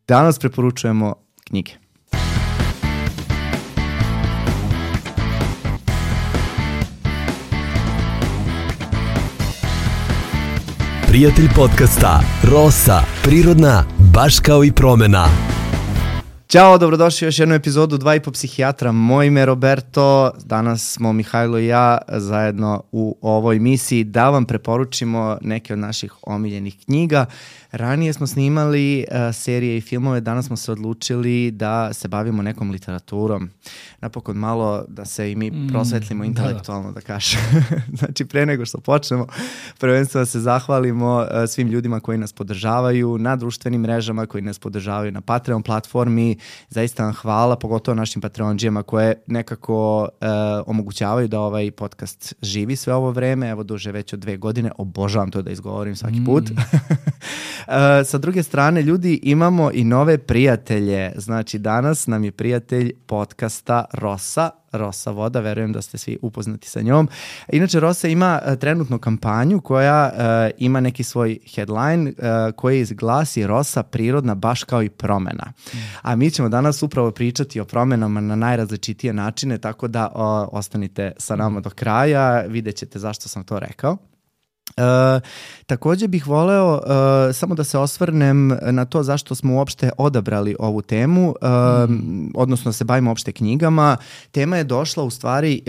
Danas preporučujemo knjige. Prijatelj podcasta Rosa, prirodna, baš kao i promena. Ćao, dobrodošli u još jednu epizodu 2,5 psihijatra. Moje ime je Roberto, danas smo Mihajlo i ja zajedno u ovoj misiji da vam preporučimo neke od naših omiljenih knjiga. Ranije smo snimali serije i filmove, danas smo se odlučili da se bavimo nekom literaturom. Napokon malo da se i mi prosvetlimo intelektualno, da kažem. Znači, pre nego što počnemo, prvenstveno se zahvalimo svim ljudima koji nas podržavaju na društvenim mrežama, koji nas podržavaju na Patreon platformi. Zaista vam hvala, pogotovo našim Patreonđijama koje nekako omogućavaju da ovaj podcast živi sve ovo vreme, evo duže već od 2 godine. Obožavam to da izgovorim svaki put. Sa druge strane, ljudi, imamo i nove prijatelje. Znači, danas nam je prijatelj podcasta Rosa Voda, verujem da ste svi upoznati sa njom. Inače, Rosa ima trenutnu kampanju koja ima neki svoj headline koji glasi Rosa, prirodna, baš kao i promena. A mi ćemo danas upravo pričati o promenama na najrazličitije načine, tako da ostanite sa nama do kraja, vidjet ćete zašto sam to rekao. Također bih voleo samo da se osvrnem na to zašto smo uopšte odabrali ovu temu, odnosno se bavimo uopšte knjigama. Tema je došla u stvari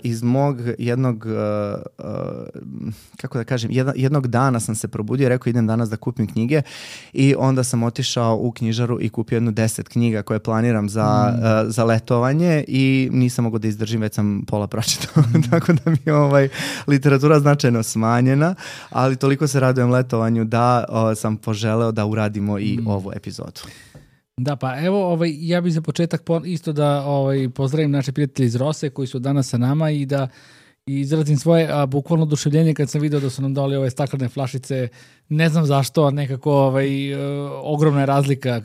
iz mog jednog, kako da kažem, jednog dana sam se probudio i rekao idem danas da kupim knjige i onda sam otišao u knjižaru i kupio 10 knjiga koje planiram za letovanje i nisam mogao da izdržim, već sam pola pročitao, tako da mi je literatura značajno smanjena. Ali toliko se radujem letovanju da sam poželeo da uradimo i ovu epizodu. Da, pa evo, ja bih za početak isto da pozdravim naše prijatelje iz Rose koji su danas sa nama i da izrazim svoje bukvalno oduševljenje kad sam video da su nam dali ove staklene flašice. Ne znam zašto, nekako ogromna je razlika.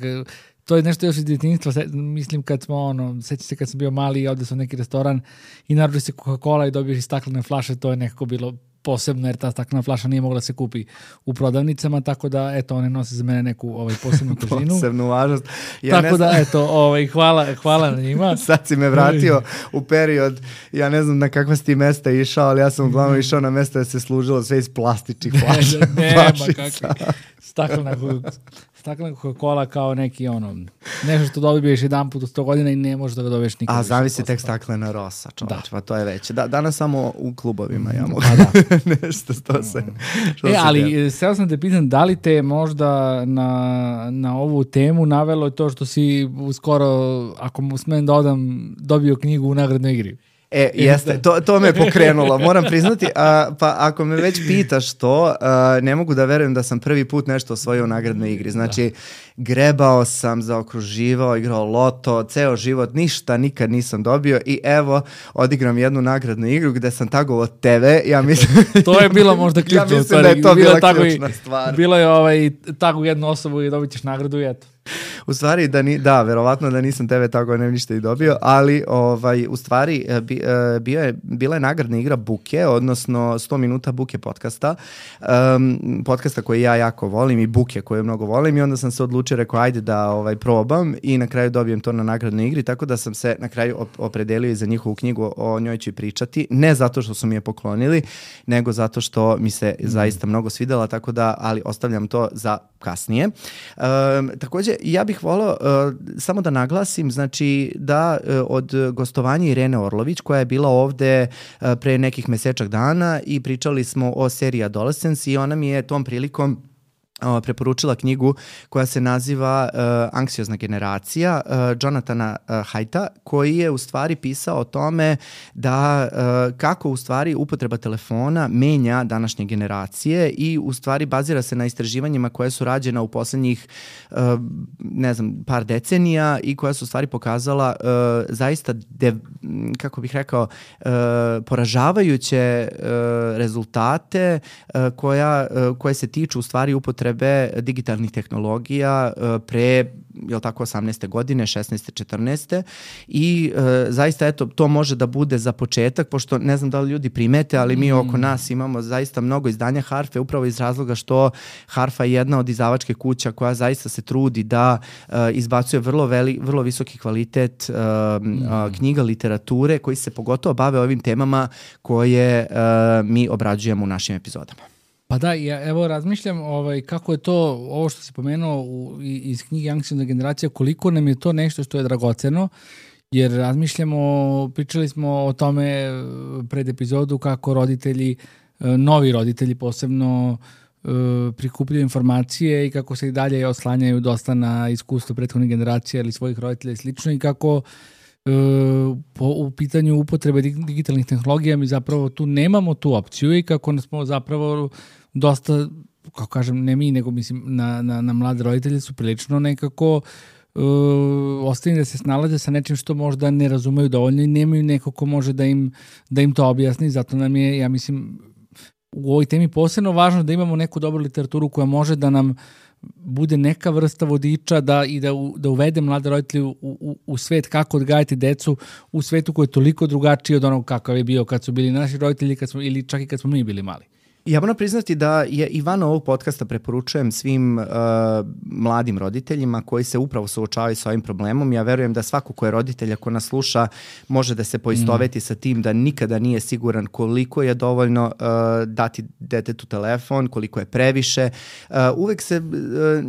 To je nešto još iz djetinjstva, mislim kad smo, sjećam se kad sam bio mali i ovdje sam neki restoran i naruči se Coca-Cola i dobiješ i staklene flaše, to je nekako bilo posebno jer ta staklena flaša nije mogla se kupi u prodavnicama, tako da eto one nose za mene neku posebnu težinu. Posebnu važnost. Tako da eto, hvala na njima. Sad si me vratio u period, ja ne znam na kakva si ti mesta išao, ali ja sam uglavnom išao na mesta da se služilo sve iz plastičnih flaša. Nema kakvi. Staklena Coca-Cola kao neki nešto što dobiješ jedan put u 100 godina i ne možeš da ga dobiješ nikad. A zavisi tek staklena Rosa, čovječ, pa to je već. Danas samo u klubovima ja mogu nešto što se... ali sada sam te pitan, da li te možda na ovu temu navelo to što si uskoro, ako mu smem da odam, dobio knjigu u nagradnoj igri? Jeste, to me je pokrenulo, moram priznati, pa ako me već pitaš to, ne mogu da verujem da sam prvi put nešto osvojio u nagradnoj igri, znači grebao sam, zaokruživao, igrao loto, ceo život, ništa nikad nisam dobio i evo, odigram jednu nagradnu igru gde sam tagovao TV, ja mislim... To je bilo možda ključno. Ja mislim da je to bila ključna stvar. Bilo je tagu jednu osobu i dobit ćeš nagradu i eto. U stvari, verovatno da nisam TV tako ne ništa i dobio, ali u stvari bila je nagradna igra Buke, odnosno 100 minuta Buke podcasta koji ja jako volim i Buke koje mnogo volim i onda sam se odlučio, rekao ajde da probam i na kraju dobijem to na nagradnoj igri, tako da sam se na kraju opredelio i za njihovu knjigu, o njoj ću pričati, ne zato što su mi je poklonili, nego zato što mi se zaista mnogo svidela, tako da, ali ostavljam to za kasnije. Također, ja bih volio samo da naglasim, znači da od gostovanja Irene Orlović, koja je bila ovde pre nekih mesečak dana i pričali smo o seriji Adolescence i ona mi je tom prilikom preporučila knjigu koja se naziva Anksiozna generacija Jonathana Haidta, koji je u stvari pisao o tome da kako u stvari upotreba telefona menja današnje generacije i u stvari bazira se na istraživanjima koje su rađena u posljednjih par decenija i koja su u stvari pokazala zaista poražavajuće rezultate koje se tiču u stvari upotrebe digitalnih tehnologija pre jel tako, 18. godine, 16. 14. I zaista, eto, to može da bude za početak, pošto ne znam da li ljudi primete, ali mi oko nas imamo zaista mnogo izdanja Harfe, upravo iz razloga što Harfa je jedna od izdavačke kuća koja zaista se trudi da izbacuje vrlo visoki kvalitet knjiga, literature, koji se pogotovo bave ovim temama koje mi obrađujemo u našim epizodama. Pa da, ja evo razmišljam kako je to, ovo što si pomenuo iz knjige Anksiozna generacija, koliko nam je to nešto što je dragoceno, jer razmišljamo, pričali smo o tome pred epizodu kako roditelji, novi roditelji posebno prikupljaju informacije i kako se i dalje oslanjaju dosta na iskustvo prethodne generacije ili svojih roditelja i slično, i kako u pitanju upotrebe digitalnih tehnologija mi zapravo tu nemamo tu opciju i kako smo zapravo dosta, kako kažem, ne mi, nego mislim na mlade roditelje su prilično nekako ostavljeni da se snalaze sa nečim što možda ne razumeju dovoljno i nemaju neko ko može da im to objasni. Zato nam je, ja mislim, u ovoj temi posebno važno da imamo neku dobru literaturu koja može da nam bude neka vrsta vodiča da uvede mlade roditelje u svet kako odgajati decu u svetu koji je toliko drugačiji od onog kakav je bio kad su bili naši roditelji ili čak i kad smo mi bili mali. Ja moram priznati da je i van ovog podcasta preporučujem svim mladim roditeljima koji se upravo suočavaju sa ovim problemom. Ja verujem da svako ko je roditelj, ako nas sluša, može da se poistoveti sa tim da nikada nije siguran koliko je dovoljno dati detetu telefon, koliko je previše.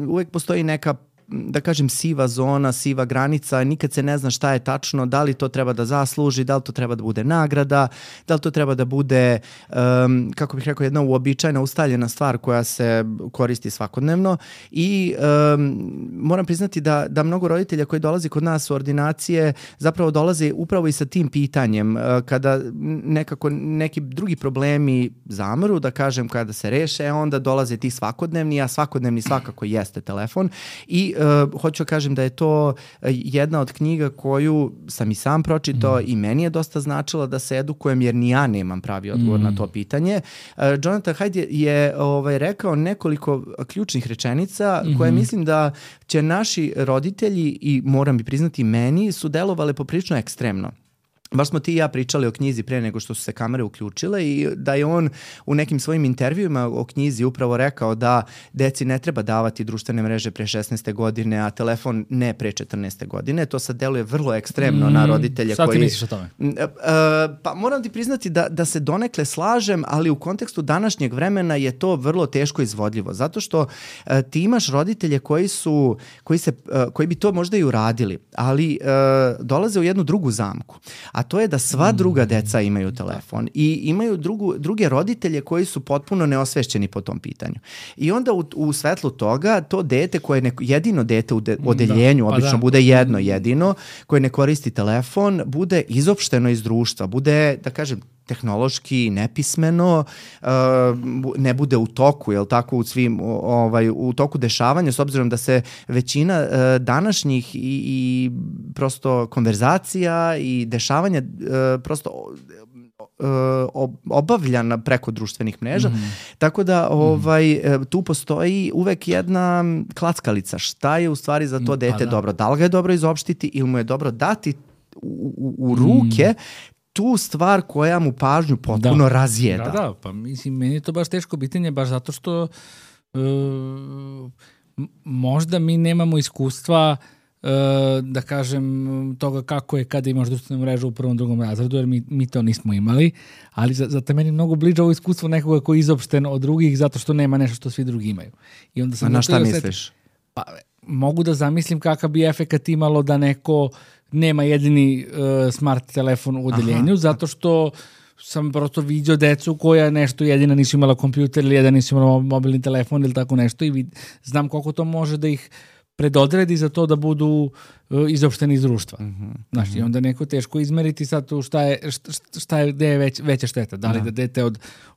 Uvek postoji neka, da kažem, siva zona, siva granica, nikad se ne zna šta je tačno, da li to treba da zasluži, da li to treba da bude nagrada, da li to treba da bude, kako bih rekao, jedna uobičajena, ustaljena stvar koja se koristi svakodnevno. I moram priznati da mnogo roditelja koji dolazi kod nas u ordinacije zapravo dolaze upravo i sa tim pitanjem. Kada nekako neki drugi problemi zamru, da kažem, kada se reše, onda dolaze ti svakodnevni, a svakodnevni svakako jeste telefon. I hoću kažem da je to jedna od knjiga koju sam i sam pročitao i meni je dosta značila da se edukujem, jer ni ja nemam pravi odgovor na to pitanje. Jonathan Haidt je rekao nekoliko ključnih rečenica koje mislim da će naši roditelji, i moram bi priznati meni, su delovale poprilično ekstremno. Baš smo ti i ja pričali o knjizi pre nego što su se kamere uključile i da je on u nekim svojim intervjuima o knjizi upravo rekao da deci ne treba davati društvene mreže pre 16. godine, a telefon ne pre 14. godine. To sad deluje vrlo ekstremno na roditelje Šta koji... ti misliš o tome? Pa moram ti priznati da se donekle slažem, ali u kontekstu današnjeg vremena je to vrlo teško izvodljivo, zato što ti imaš roditelje koji bi to možda i uradili, ali dolaze u jednu drugu zamku. A to je da sva druga deca imaju telefon i imaju druge roditelje koji su potpuno neosvešćeni po tom pitanju. I onda u svetlu toga to dete koje je jedino dete u odeljenju, obično bude jedno jedino, koje ne koristi telefon, bude izopšteno iz društva, bude, da kažem, tehnološki nepismeno, ne bude u toku, jel tako, u toku dešavanja, s obzirom da se većina današnjih i prosto konverzacija i dešavanja prosto obavljana preko društvenih mreža. Tako da tu postoji uvek jedna klackalica. Šta je u stvari za to dete dobro? Da li ga je dobro izopštiti ili mu je dobro dati u ruke tu stvar koja mu pažnju potpuno razjeda. Da, pa mislim, meni je to baš teško pitanje, baš zato što možda mi nemamo iskustva da kažem toga kako je kada imaš društvenu mrežu u prvom, drugom razredu, jer mi to nismo imali, ali zato meni mnogo bliže ovo iskustvo nekoga koji je izopšten od drugih zato što nema nešto što svi drugi imaju. I onda sam na šta misliš? Pa, mogu da zamislim kakav bi efekat imalo da neko nema jedini smart telefon u odeljenju, zato što sam prosto vidio decu koja nešto jedina nisu imala kompjuter ili jedan nisu imala mobilni telefon ili tako nešto i znam koliko to može da ih predodredi za to da budu izopšteni iz društva. Znaš, i onda neko teško izmeriti sad tu gde je veća šteta. Da li da dete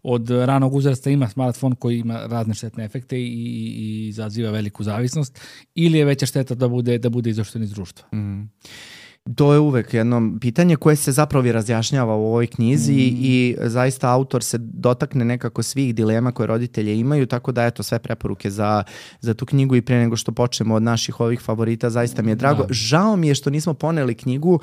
od ranog uzrasta ima smartfon koji ima razne štetne efekte i izaziva veliku zavisnost, ili je veća šteta da bude izopšten iz društva. To je uvek jedno pitanje koje se zapravo i razjašnjava u ovoj knjizi i zaista autor se dotakne nekako svih dilema koje roditelje imaju, tako da eto sve preporuke za tu knjigu i pre nego što počnemo od naših ovih favorita, zaista mi je drago. Da. Žao mi je što nismo poneli knjigu,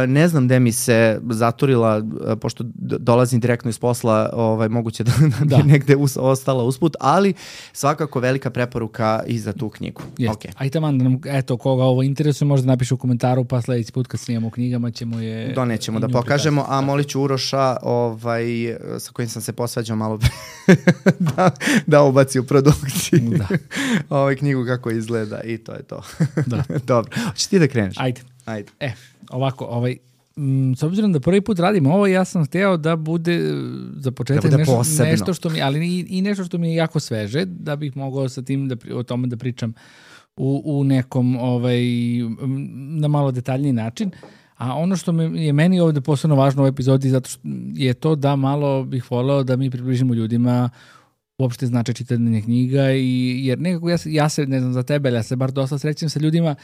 ne znam gde mi se zaturila, pošto dolazim direktno iz posla, moguće da bi negde ostala usput, ali svakako velika preporuka i za tu knjigu. Okay. Aj taman da nam, eto, koga ovo interesuje, možda napiše u komentaru, pa sledeći put kad snijemo u knjigama ćemo je... Donećemo da pokažemo, a molit ću Uroša, sa kojim sam se posvađao malo da ubaci u produkciju knjigu kako izgleda i to je to. Da. Dobro, hoćeš ti da kreneš? Ajde. Ovako, s obzirom da prvi put radim ovo, ja sam hteo da bude za početak nešto što mi, ali i nešto što mi je jako sveže, da bih mogao sa tim o tome da pričam u nekom na malo detaljniji način. A ono što je meni ovde posebno važno u ovoj epizodi zato što je to da malo bih voleo da mi približimo ljudima uopšte značaj čitanja knjiga jer nekako ja se, ne znam za tebe, ali ja se bar dosta srećem sa ljudima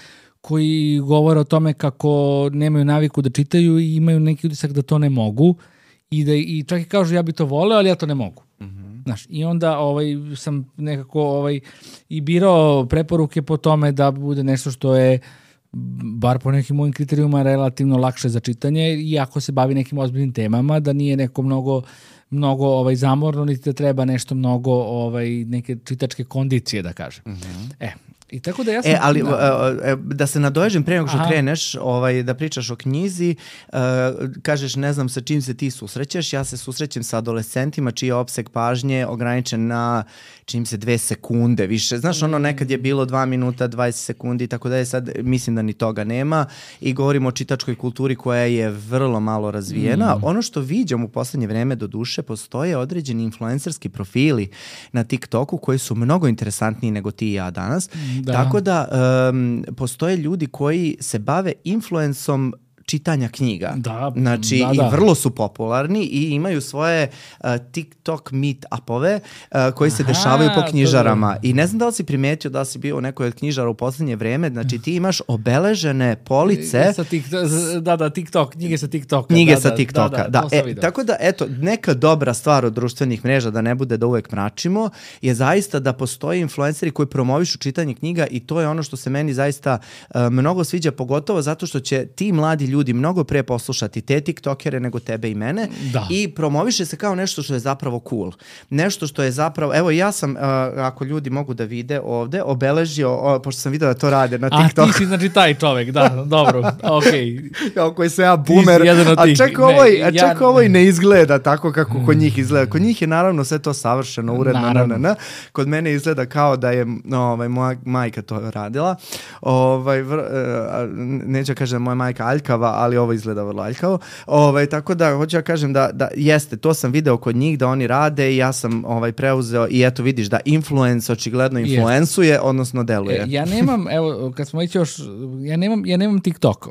koji govore o tome kako nemaju naviku da čitaju i imaju neki utisak da to ne mogu i čak i kažu ja bi to voleo, ali ja to ne mogu. Znaš, i onda sam nekako i birao preporuke po tome da bude nešto što je bar po nekim mojim kriterijuma relativno lakše za čitanje, iako se bavi nekim ozbiljnim temama, da nije neko mnogo zamorno, niti da treba nešto mnogo neke čitačke kondicije, da kažem. I tako da ja sam... ali da se nadoježem pre nego što kreneš da pričaš o knjizi, kažeš ne znam sa čim se ti susrećeš, ja se susrećem sa adolescentima čiji je opseg pažnje ograničen na čim se 2 sekunde više. Znaš, nekad je bilo 2 minuta, 20 sekundi, tako da je sad, mislim da ni toga nema i govorimo o čitačkoj kulturi koja je vrlo malo razvijena. Ono što viđam u poslednje vreme do duše, postoje određeni influencerski profili na TikToku koji su mnogo interesantniji nego ti i ja danas. Tako da postoje ljudi koji se bave influencom čitanja knjiga. I vrlo su popularni i imaju svoje TikTok meet-upove koji se dešavaju po knjižarama. I ne znam da li si primetio da si bio u nekoj od knjižara u poslednje vreme, znači ti imaš obeležene police. TikTok, knjige sa TikToka. Knjige sa TikToka, da. Tako da, eto, neka dobra stvar od društvenih mreža, da ne bude da uvek mračimo, je zaista da postoje influenceri koji promovišu čitanje knjiga i to je ono što se meni zaista mnogo sviđa, pogotovo zato što će ti mladi ljudi mnogo pre poslušati te tiktokere nego tebe i mene i promoviše se kao nešto što je zapravo cool. Nešto što je zapravo, evo ja sam, ako ljudi mogu da vide ovde, obeležio, pošto sam vidio da to rade na TikToku. A ti si znači taj čovek, da, dobro, okej. Kao koji se ja boomer, čak ovo i ne izgleda tako kako kod njih izgleda. Kod njih je naravno sve to savršeno, uredno. Kod mene izgleda kao da je moja majka to radila. Neću kažem moja majka aljkava, ali ovo izgleda vrlo aljkavo. Tako da hoću ja kažem da jeste, to sam video kod njih da oni rade i ja sam preuzeo i eto vidiš da influence očigledno influencuje, odnosno deluje. Ja nemam, evo, kad smo ići još, ja nemam TikTok,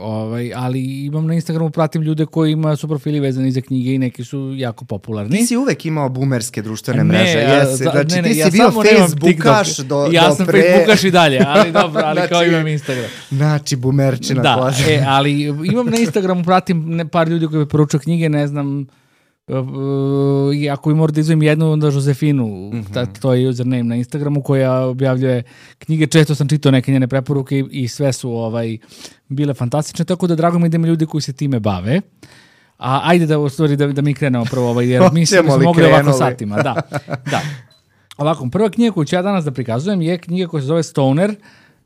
ali imam na Instagramu, pratim ljude koji imaju su profili vezani za knjige i neki su jako popularni. Ti si uvek imao boomerske društvene mreže. Znači ti si bio Facebookaš do pre... Ja sam Facebookaš i dalje, ali dobro, ali kao imam Instagram. Znači boomerčina. Da, ali imam na Instagramu, pratim par ljudi koji poručuju knjige, ne znam, ako bi morao da izvojim jednu, onda Josefinu, to je username na Instagramu koja objavljuje knjige, često sam čitao neke njene preporuke i sve su bile fantastične, tako da drago mi da ima ljudi koji se time bave. A ajde da mi krenemo prvo, jer mi smo mogli ovako satima. Da. Ovako, prva knjiga koju ću ja danas da prikazujem je knjiga koja se zove Stoner,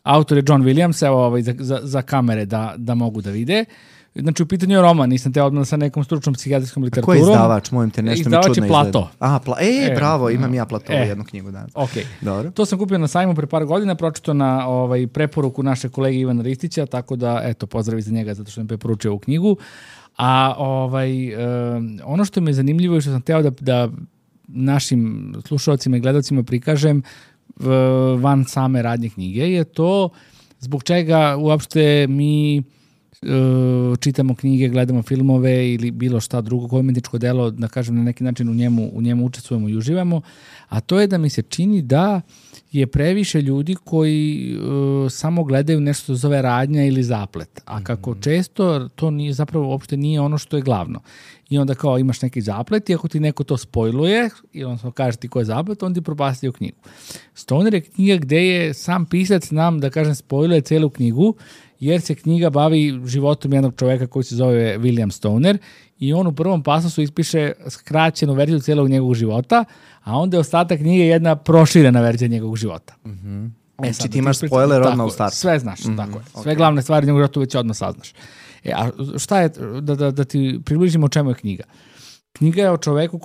autor je John Williams, evo za kamere da mogu da vide. Znači u pitanju je roman, nisam te odmah sa nekom stručnom psihijatrijskom literaturom. A ko je izdavač? Molim te, nešto mi čudno izgleda. Izdavač je Plato. Bravo, imam ja Platovu jednu knjigu danas. Dobro. To sam kupio na sajmu pre par godina, pročito na preporuku naše kolege Ivana Ristića, tako da, eto, pozdravi za njega zato što mi preporučio ovu knjigu. A ono što mi je zanimljivo i što sam teo da našim slušalcima i gledalcima prikažem van same radnje knjige je to zbog čega uopšte mi čitamo knjige, gledamo filmove ili bilo šta drugo, koje umetničko delo, da kažem, na neki način u njemu učestvujemo i uživamo, a to je da mi se čini da je previše ljudi koji samo gledaju nešto što zove radnja ili zaplet, a kako često to nije, zapravo uopšte nije ono što je glavno. I onda kao imaš neki zaplet i ako ti neko to spojluje i on kaže ti ko je zaplet, on ti propastio knjigu. Stoner je knjiga gde je sam pisac nam, da kažem, spojluje celu knjigu, jer se knjiga bavi životom jednog čoveka koji se zove William Stoner i on u prvom pasosu ispiše skraćenu verziju celog njegovog života, a onda je ostatak knjige jedna proširena verzija njegovog života. Znači ti imaš spoiler odmah u startu. Sve znaš, tako je. Sve glavne stvari njegovog života već odmah saznaš. A šta je, da ti približimo o čemu je knjiga? Knjiga je o čoveku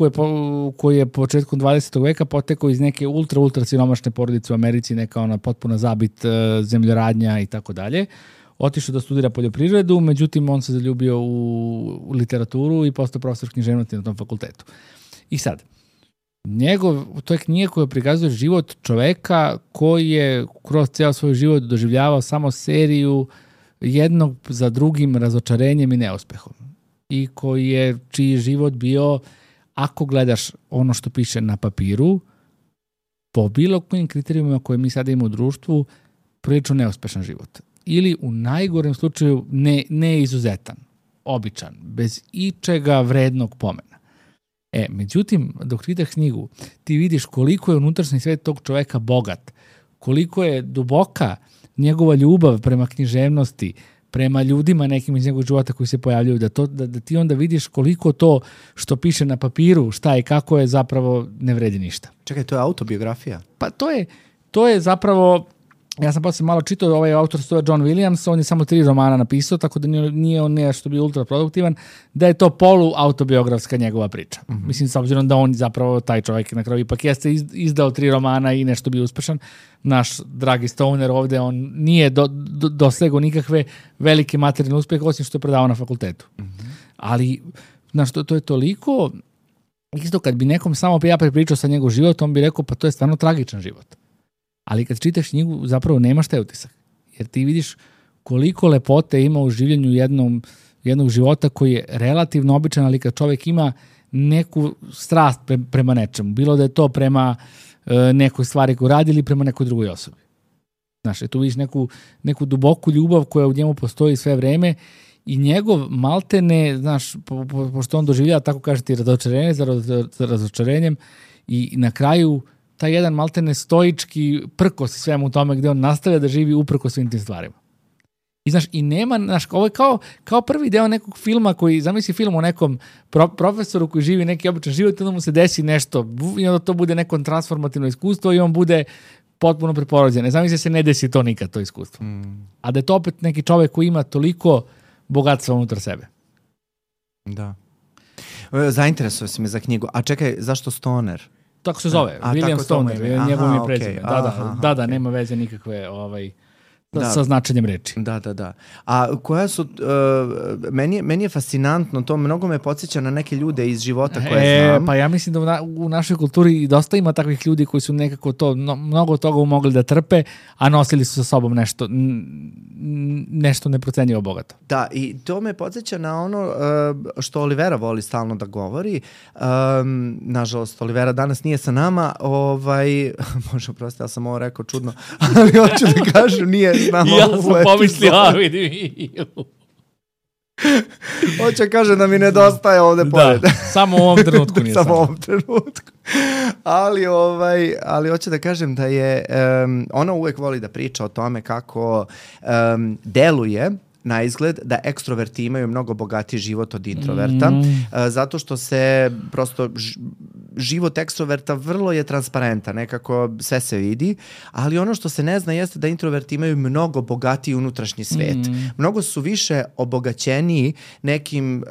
koji je početkom 20. veka potekao iz neke ultra siromašne porodice u Americi, neka ona potpuna zabit zemljoradnja i tako dalje. Otišao da studira poljoprivredu, međutim on se zaljubio u literaturu i postao profesor književnosti na tom fakultetu. I sad, to je knjiga koja prikazuje život čoveka koji je kroz ceo svoj život doživljavao samo seriju jednog za drugim razočarenjem i neuspehom. I čiji je život bio, ako gledaš ono što piše na papiru, po bilo kojim kriterijumima koje mi sada imamo u društvu, prilično neuspešan život. Ili u najgorem slučaju neizuzetan, običan, bez ičega vrednog pomena. Međutim, dok čitaš knjigu, ti vidiš koliko je unutrašnji svet tog čoveka bogat, koliko je duboka njegova ljubav prema književnosti, prema ljudima nekim iz njegovog života koji se pojavljaju, da ti onda vidiš koliko to što piše na papiru, šta i kako je zapravo ne vredi ništa. Čekaj, to je autobiografija? Pa to je zapravo, ja sam posle malo čitao, ovaj autor se zove John Williams, on je samo 3 romana napisao, tako da nije on nešto bio ultra produktivan, da je to polu-autobiografska njegova priča. Mislim, s obzirom da on zapravo, taj čovjek na kraju ipak jeste izdao 3 romana i nešto bio uspešan. Naš dragi Stoner ovde, on nije dosegao nikakve velike materijalne uspehe, osim što je predavao na fakultetu. Ali, znaš, to je toliko, isto kad bi nekom samo ja prepričao sa njegov život, on bi rekao, pa to je stvarno tragičan život. Ali kad čitaš knjigu, zapravo nemaš taj utisak. Jer ti vidiš koliko lepote ima u življenju jednog života koji je relativno običan, ali kad čovjek ima neku strast prema nečemu, bilo da je to prema nekoj stvari koju radi ili prema nekoj drugoj osobi. Znaš, tu vidiš neku duboku ljubav koja u njemu postoji sve vreme i njegov maltene, znaš, pošto on doživljava, tako kažete, razočarenje za razočarenjem i na kraju taj jedan maltene stoički prkos svemu tome gde on nastavlja da živi uprko svim tim stvarima. I znaš, i nema, znaš, ovo je kao prvi deo nekog filma koji, zamisli film o nekom profesoru koji živi neki običan život i onda mu se desi nešto i onda to bude neko transformativno iskustvo i on bude potpuno preporođen. Zamisli se ne desi to nikad, to iskustvo. A da je to opet neki čovjek koji ima toliko bogatstva unutar sebe. Da. Zainteresuje si me za knjigu. A čekaj, zašto Stoner? Tako se zove, William Stoner, njegov mi je prezime. Da, nema veze nikakve sa značenjem reči. Da. A koja su, meni je fascinantno, to mnogo me podsjeća na neke ljude iz života koje znam. Pa ja mislim da u našoj kulturi dosta ima takvih ljudi koji su nekako to, mnogo toga mogli da trpe, a nosili su sa sobom nešto neprocenjivo bogato. Da, i to me podsjeća na ono što Olivera voli stalno da govori. Nažalost, Olivera danas nije sa nama. Može oprostiti, ja sam ovo rekao čudno, ali hoću da kažem, nije s nama. Ja sam pomislio, vidim. Hoće kaže da mi nedostaje ovde pored. Da, samo u ovom trenutku nije samo. Samo u ovom trenutku. Ali hoće da kažem da je, ona uvek voli da priča o tome kako deluje na izgled da ekstroverti imaju mnogo bogatiji život od introverta, zato što se prosto život ekstroverta vrlo je transparentan, nekako sve se vidi, ali ono što se ne zna jeste da introverti imaju mnogo bogatiji unutrašnji svet. Mnogo su više obogaćeniji nekim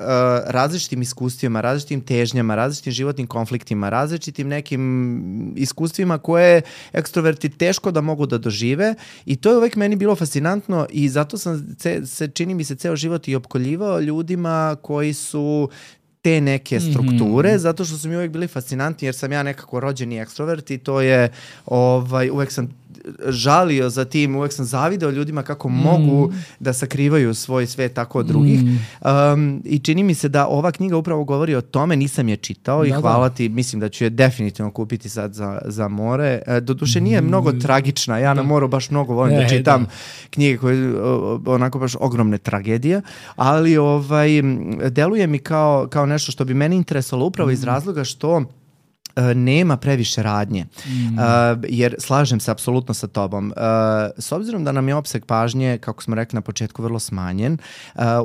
različitim iskustvima, različitim težnjama, različitim životnim konfliktima, različitim nekim iskustvima koje ekstroverti teško da mogu da dožive i to je uvek meni bilo fascinantno i zato sam čini mi se ceo život i opkoljivao ljudima koji su te neke strukture, zato što su mi uvek bili fascinantni jer sam ja nekako rođeni ekstrovert i to je, uvek sam žalio za tim, uvek sam zavideo ljudima kako mogu da sakrivaju svoj svet tako od drugih. I čini mi se da ova knjiga upravo govori o tome, nisam je čitao i hvala ti, mislim da ću je definitivno kupiti sad za more. Doduše nije mnogo tragična, ja na moru baš mnogo volim da čitam knjige koje onako baš ogromne tragedije, ali deluje mi kao nešto što bi mene interesovalo upravo iz razloga što nema previše radnje, jer slažem se apsolutno sa tobom. S obzirom da nam je opseg pažnje, kako smo rekli na početku, vrlo smanjen,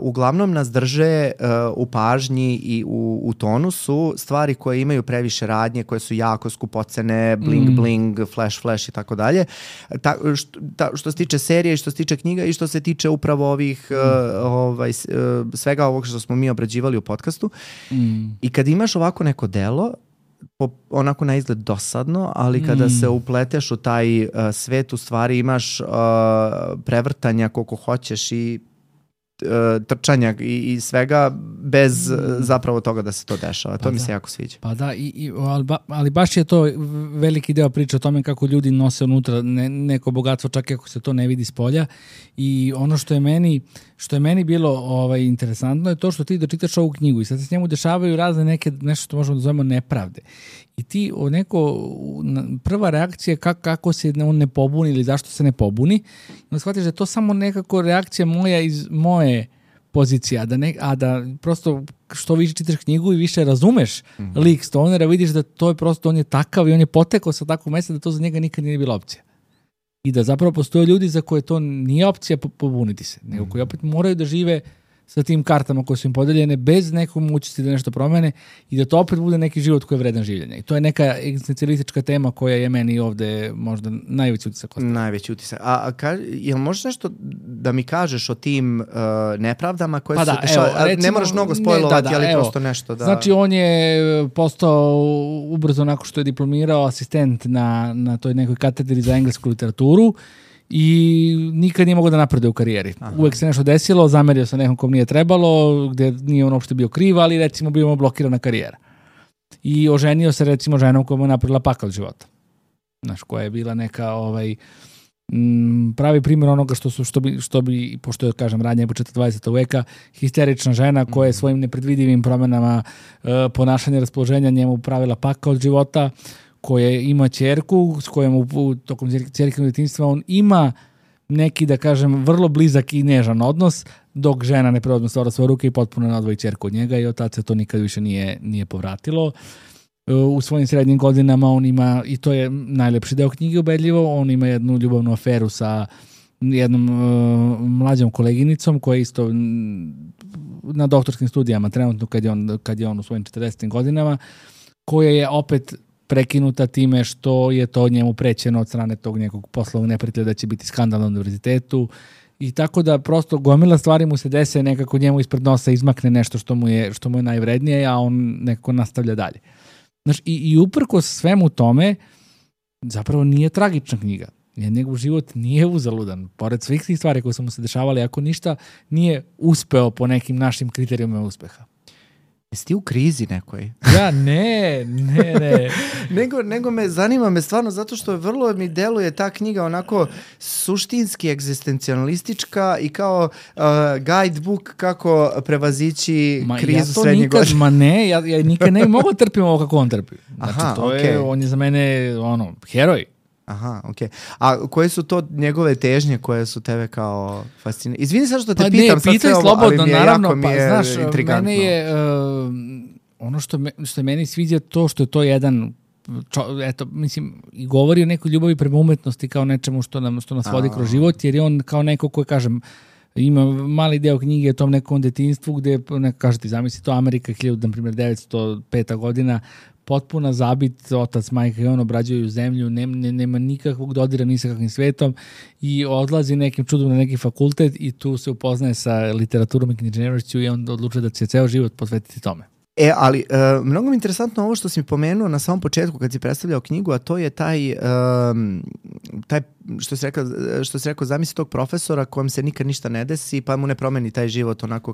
uglavnom nas drže u pažnji i u tonusu stvari koje imaju previše radnje, koje su jako skupocene, bling bling, flash i tako dalje. Što se tiče serije i što se tiče knjiga i što se tiče upravo ovih svega ovog što smo mi obrađivali u podcastu. I kad imaš ovako neko delo, onako na izgled dosadno, ali kada se upleteš u taj svet, u stvari imaš prevrtanja koliko hoćeš i trčanja i svega bez zapravo toga da se to dešava. To mi se jako sviđa. Pa da, ali baš je to veliki deo priče o tome kako ljudi nose unutra neko bogatstvo, čak i ako se to ne vidi s polja. I ono što je meni bilo interesantno je to što ti dočitaš ovu knjigu i sad se s njemu dešavaju razne nešto što možemo da zovemo nepravde. I ti prva reakcija je kako se on ne pobuni ili zašto se ne pobuni. Onda shvatiš da je to samo nekako reakcija moja iz moje pozicije, a da prosto što više čitaš knjigu i više razumeš lik Stonera, vidiš da to je prosto, on je takav i on je potekao sa takvog mesta da to za njega nikad nije bila opcija. I da zapravo postoje ljudi za koje to nije opcija pobuniti se, nego koji opet moraju da žive sa tim kartama koje su im podeljene bez nekog mogućnosti da nešto promene i da to opet bude neki život koji je vredan življenja. I to je neka egzistencijalistička tema koja je meni ovde možda najveći utisak. Najveći utisak. Jel možeš nešto da mi kažeš o tim nepravdama koje su dešavaju? Ne moraš mnogo spojlovati, ali prosto nešto. Da... Znači, on je postao ubrzo nakon što je diplomirao asistent na toj nekoj katedri za englesku literaturu i nikad nije mogao da napreduje u karijeri. Uvek se nešto desilo, zamerio se nekom kom nije trebalo, gde nije on uopšte bio kriv, ali recimo bio blokirana karijera. I oženio se recimo ženom koja mu je napravila pakao od života. Znaš, koja je bila neka pravi primjer onoga što bi pošto je, kažem, radnja početak 20. veka, histerična žena koja je svojim nepredvidivim promenama ponašanja, raspoloženja njemu pravila pakao od života, koja ima ćerku s kojom tokom ćerkinog djetinjstva on ima neki, da kažem, vrlo blizak i nežan odnos, dok žena ne preuzme stvar u svoje ruke i potpuno nadvoji ćerku od njega i od tada se to nikad više nije povratilo. U svojim srednjim godinama on ima, i to je najlepši deo knjige ubedljivo, on ima jednu ljubavnu aferu sa jednom mlađom koleginicom koja je isto na doktorskim studijama trenutno kad je on u svojim 40. godinama, koja je opet prekinuta time što je to njemu prećeno od strane tog nekog poslovnog neprijatelja da će biti skandal na univerzitetu i tako da prosto gomila stvari mu se dese, nekako njemu ispred nosa izmakne nešto što mu je najvrednije, a on nekako nastavlja dalje. Znaš, i uprkos svemu tome zapravo nije tragična knjiga. Njegov život nije uzaludan. Pored svih tih stvari koje su mu se dešavali, ako ništa nije uspeo po nekim našim kriterijumima uspeha. Jesi ti u krizi nekoj? Ja, ne. nego zanima me stvarno zato što vrlo mi deluje ta knjiga onako suštinski egzistencijalistička i kao guidebook kako prevazići krizu srednjeg godina. Ma ne, ja nikad ne mogu trpim ovo kako on trpi. Znači, on je za mene heroj. Aha, okej. A koje su to njegove težnje koje su tebe kao fascinirane? Izvini sad što te pitam sad sve ovo, slobodno, ali mi je naravno, jako znaš, intrigantno. Mene je, ono što je meni sviđa to što je to jedan, mislim, i govori o nekoj ljubavi prema umetnosti kao nečemu što nas vodi kroz život, jer je on kao neko koji, kažem, ima mali deo knjige o tom nekom detinjstvu gde, kažete, zamisli to Amerika 1905. godina, potpuna zabit, otac, majka i on obrađuju zemlju, nema nikakvog dodira ni sa kakvim svetom i odlazi nekim čudom na neki fakultet i tu se upoznaje sa literaturom i književnošću i on odlučuje da će ceo život posvetiti tome. Ali mnogo mi je interesantno ovo što si mi pomenuo na samom početku kad si predstavljao knjigu, a to je taj što si rekao, zamisli tog profesora kojem se nikad ništa ne desi, pa mu ne promeni taj život onako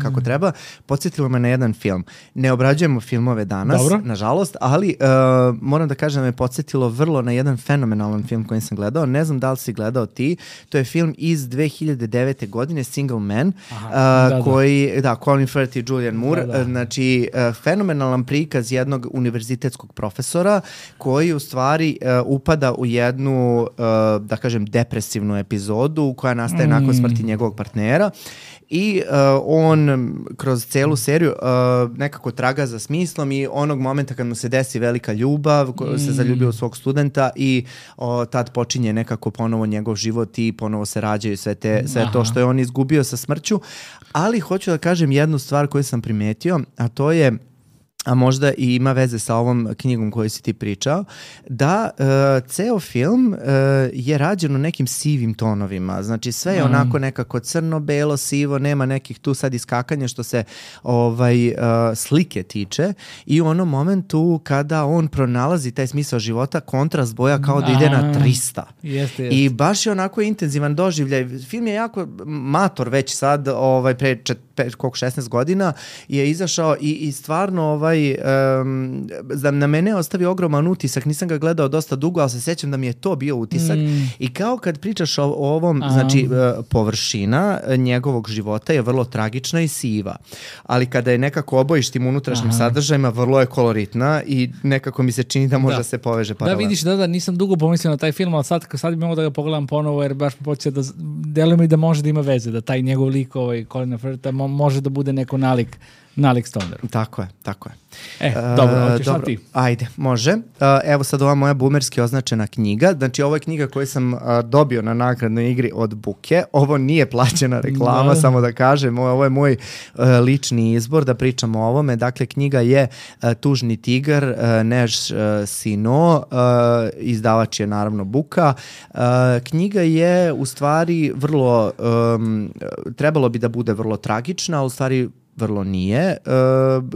kako treba. Podsjetilo me na jedan film. Ne obrađujemo filmove danas, nažalost, ali moram da kažem da me podsjetilo vrlo na jedan fenomenalan film koji sam gledao. Ne znam da li si gledao ti. To je film iz 2009. godine, Single Man, koji, Colin Firth i Julianne Moore. Znači, fenomenalan prikaz jednog univerzitetskog profesora koji u stvari upada u jednu, da kažem, depresivnu epizodu koja nastaje nakon smrti njegovog partnera i on kroz celu seriju nekako traga za smislom i onog momenta kad mu se desi velika ljubav, se zaljubio u svog studenta i tad počinje nekako ponovo njegov život i ponovo se rađaju sve to što je on izgubio sa smrću. Ali hoću da kažem jednu stvar koju sam primetio, a to je, a možda i ima veze sa ovom knjigom koju si ti pričao, da ceo film je rađen u nekim sivim tonovima. Znači sve je onako nekako crno, belo, sivo, nema nekih tu sad iskakanja što se slike tiče i u onom momentu kada on pronalazi taj smisao života, kontrast boja kao da ide na 300. Jeste. I baš je onako intenzivan doživljaj. Film je jako mator već sad, pre 16 godina je izašao i stvarno na mene ostavi ogroman utisak, nisam ga gledao dosta dugo, ali se sećam da mi je to bio utisak i kao kad pričaš o ovom, znači površina njegovog života je vrlo tragična i siva, ali kada je nekako obojiš tim unutrašnjim sadržajima, vrlo je koloritna i nekako mi se čini da može se poveže paralelno. Da, vidiš, nisam dugo pomislio na taj film, ali sad bi mogo da ga pogledam ponovo, jer baš počeo da deluje mi da može da ima veze, da taj njegov lik, Colina Firtha, može da bude neko nalik Stoneru. Tako je. Dobro, hoćeš sad ti? Ajde, može. Evo sad ova moja boomerski označena knjiga. Znači, ovo je knjiga koju sam dobio na nagradnoj igri od Buke. Ovo nije plaćena reklama, samo da kažem. Ovo je moj lični izbor da pričam o ovome. Dakle, knjiga je Tužni tigar, Než Sino. Izdavač je naravno Buka. Knjiga je u stvari vrlo, trebalo bi da bude vrlo tragična, ali u stvari vrlo nije.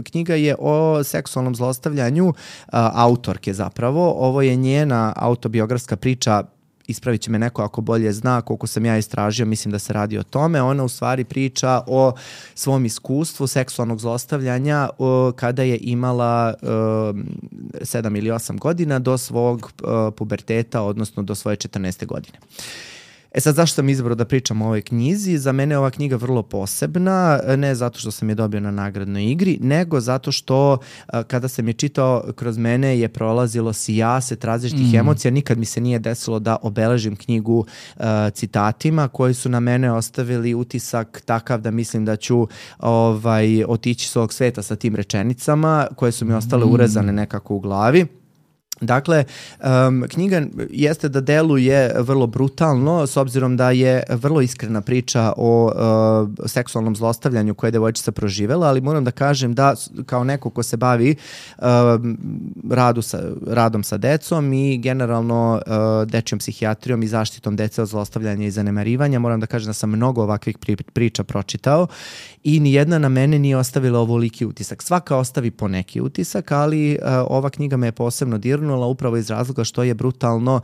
Knjiga je o seksualnom zlostavljanju autorke zapravo. Ovo je njena autobiografska priča, ispravit će me neko ako bolje zna, koliko sam ja istražio, mislim da se radi o tome. Ona u stvari priča o svom iskustvu seksualnog zlostavljanja kada je imala 7 ili 8 godina do svog puberteta, odnosno do svoje 14. godine. Sad, zašto sam izabrao da pričam o ovoj knjizi? Za mene je ova knjiga vrlo posebna, ne zato što sam je dobio na nagradnoj igri, nego zato što kada sam je čitao, kroz mene je prolazilo sijaset različitih emocija. Nikad mi se nije desilo da obeležim knjigu citatima koji su na mene ostavili utisak takav da mislim da ću otići s ovog sveta sa tim rečenicama koje su mi ostale urezane nekako u glavi. Dakle, knjiga jeste da deluje vrlo brutalno, s obzirom da je vrlo iskrena priča o seksualnom zlostavljanju koje je devojčica proživela, ali moram da kažem da kao neko ko se bavi radom sa decom i generalno dečjom psihijatrijom i zaštitom dece od zlostavljanja i zanemarivanja, moram da kažem da sam mnogo ovakvih priča pročitao i nijedna na mene nije ostavila ovoliki utisak. Svaka ostavi po neki utisak, ali ova knjiga me je posebno dirnula upravo iz razloga što je brutalno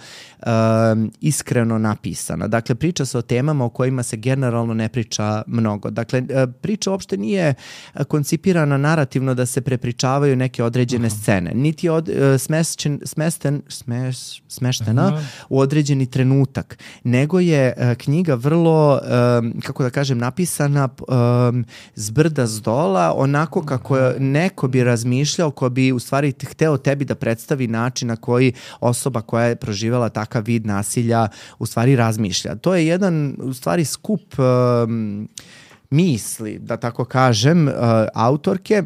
iskreno napisana. Dakle, priča se o temama o kojima se generalno ne priča mnogo. Dakle, priča uopšte nije koncipirana narativno da se prepričavaju neke određene scene. Niti je smeštena u određeni trenutak. Nego je knjiga vrlo, kako da kažem, napisana zbrda zdola, onako kako neko bi razmišljao, ko bi u stvari hteo tebi da predstavi način na koji osoba koja je proživjela takav vid nasilja u stvari razmišlja. To je jedan u stvari skup misli, da tako kažem, autorke.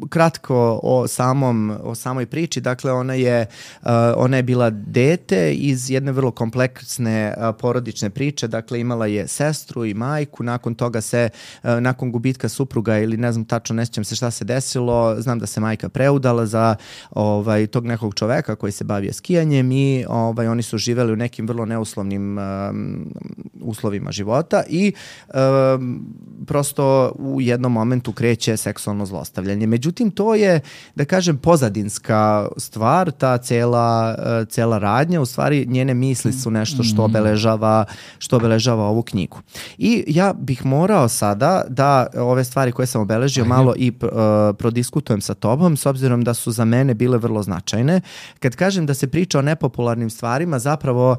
Kratko o samoj priči. Dakle, ona je bila dete iz jedne vrlo kompleksne porodične priče. Dakle, imala je sestru i majku. Nakon toga nakon gubitka supruga ili ne znam tačno, ne sjećam se šta se desilo, znam da se majka preudala za tog nekog čoveka koji se bavio skijanjem i oni su živeli u nekim vrlo neuslovnim uslovima života i prosto u jednom momentu kreće seksualno zlostavljanje. Međutim, to je, da kažem, pozadinska stvar, ta cela radnja, u stvari njene misli su nešto što obeležava ovu knjigu. I ja bih morao sada da ove stvari koje sam obeležio malo i prodiskutujem sa tobom, s obzirom da su za mene bile vrlo značajne. Kad kažem da se priča o nepopularnim stvarima, zapravo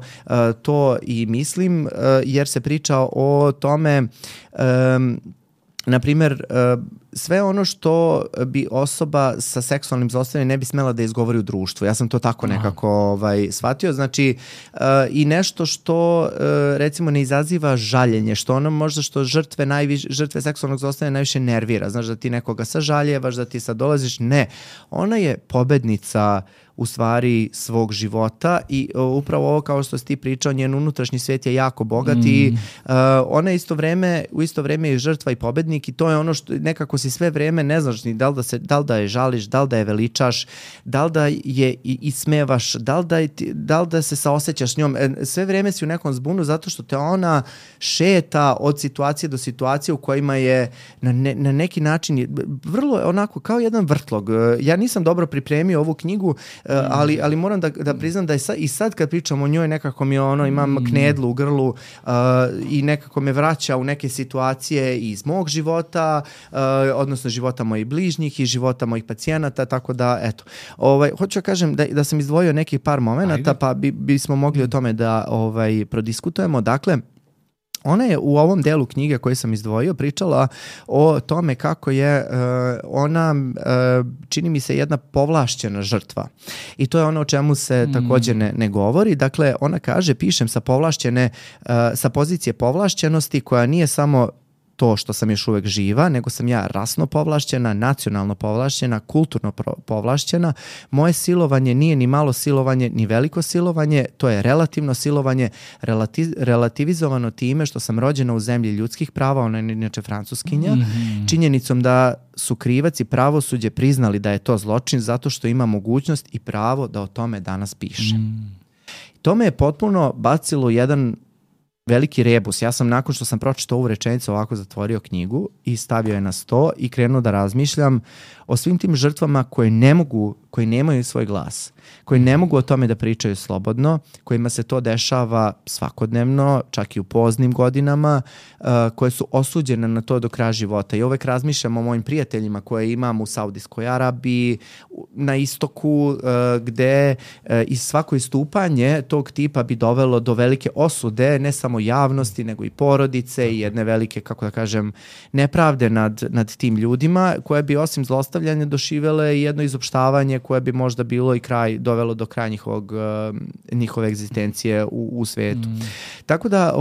to i mislim, jer se priča o tome, na primjer, sve ono što bi osoba sa seksualnim zlostavljanjem ne bi smela da izgovori u društvu. Ja sam to tako nekako shvatio. Znači, i nešto što recimo ne izaziva žaljenje, što ono možda što žrtve seksualnog zlostavljanja najviše nervira. Znaš, da ti nekoga sažaljevaš, da ti sad dolaziš. Ne. Ona je pobednica u stvari svog života i upravo ovo kao što si ti pričao, njen unutrašnji svijet je jako bogat i ona je u isto vrijeme i žrtva i pobednik i to je ono što nekako si sve vrijeme ne znaš ni da li da je žališ, da li da je veličaš, da li da je i smevaš, da li da se saosećaš s njom. Sve vrijeme si u nekom zbunu zato što te ona šeta od situacije do situacije u kojima je na neki način vrlo onako kao jedan vrtlog. Ja nisam dobro pripremio ovu knjigu, ali moram da priznam da je i sad kad pričam o njoj nekako mi imam knedlu u grlu i nekako me vraća u neke situacije iz mog života, odnosno života mojih bližnjih i života mojih pacijenata, tako da eto. Hoću da kažem da sam izdvojio nekih par momenata, pa bismo mogli o tome da prodiskutujemo. Dakle, ona je u ovom delu knjige koju sam izdvojio pričala o tome kako je ona, čini mi se, jedna povlašćena žrtva. I to je ono o čemu se također ne govori. Dakle, ona kaže, pišem sa pozicije povlašćenosti koja nije samo to što sam još uvek živa, nego sam ja rasno povlašćena, nacionalno povlašćena, kulturno povlašćena. Moje silovanje nije ni malo silovanje, ni veliko silovanje, to je relativno silovanje, relativizovano time što sam rođena u zemlji ljudskih prava, ona je inače Francuskinja, činjenicom da su krivac i pravosuđe priznali da je to zločin zato što ima mogućnost i pravo da o tome danas piše. To me je potpuno bacilo jedan veliki rebus. Ja sam nakon što sam pročitao ovu rečenicu ovako zatvorio knjigu i stavio je na sto i krenuo da razmišljam o svim tim žrtvama koji nemaju svoj glas, koji ne mogu o tome da pričaju slobodno, kojima se to dešava svakodnevno, čak i u poznim godinama, koje su osuđene na to do kraja života. I uvek razmišljam o mojim prijateljima koje imam u Saudijskoj Arabiji, na istoku, gde i svako istupanje tog tipa bi dovelo do velike osude, ne samo javnosti, nego i porodice i jedne velike, kako da kažem, nepravde nad tim ljudima, koje bi osim zlostavljanja doživele i jedno izopštavanje koje bi možda bilo i dovelo do kraja njihove egzistencije u svetu. Tako da,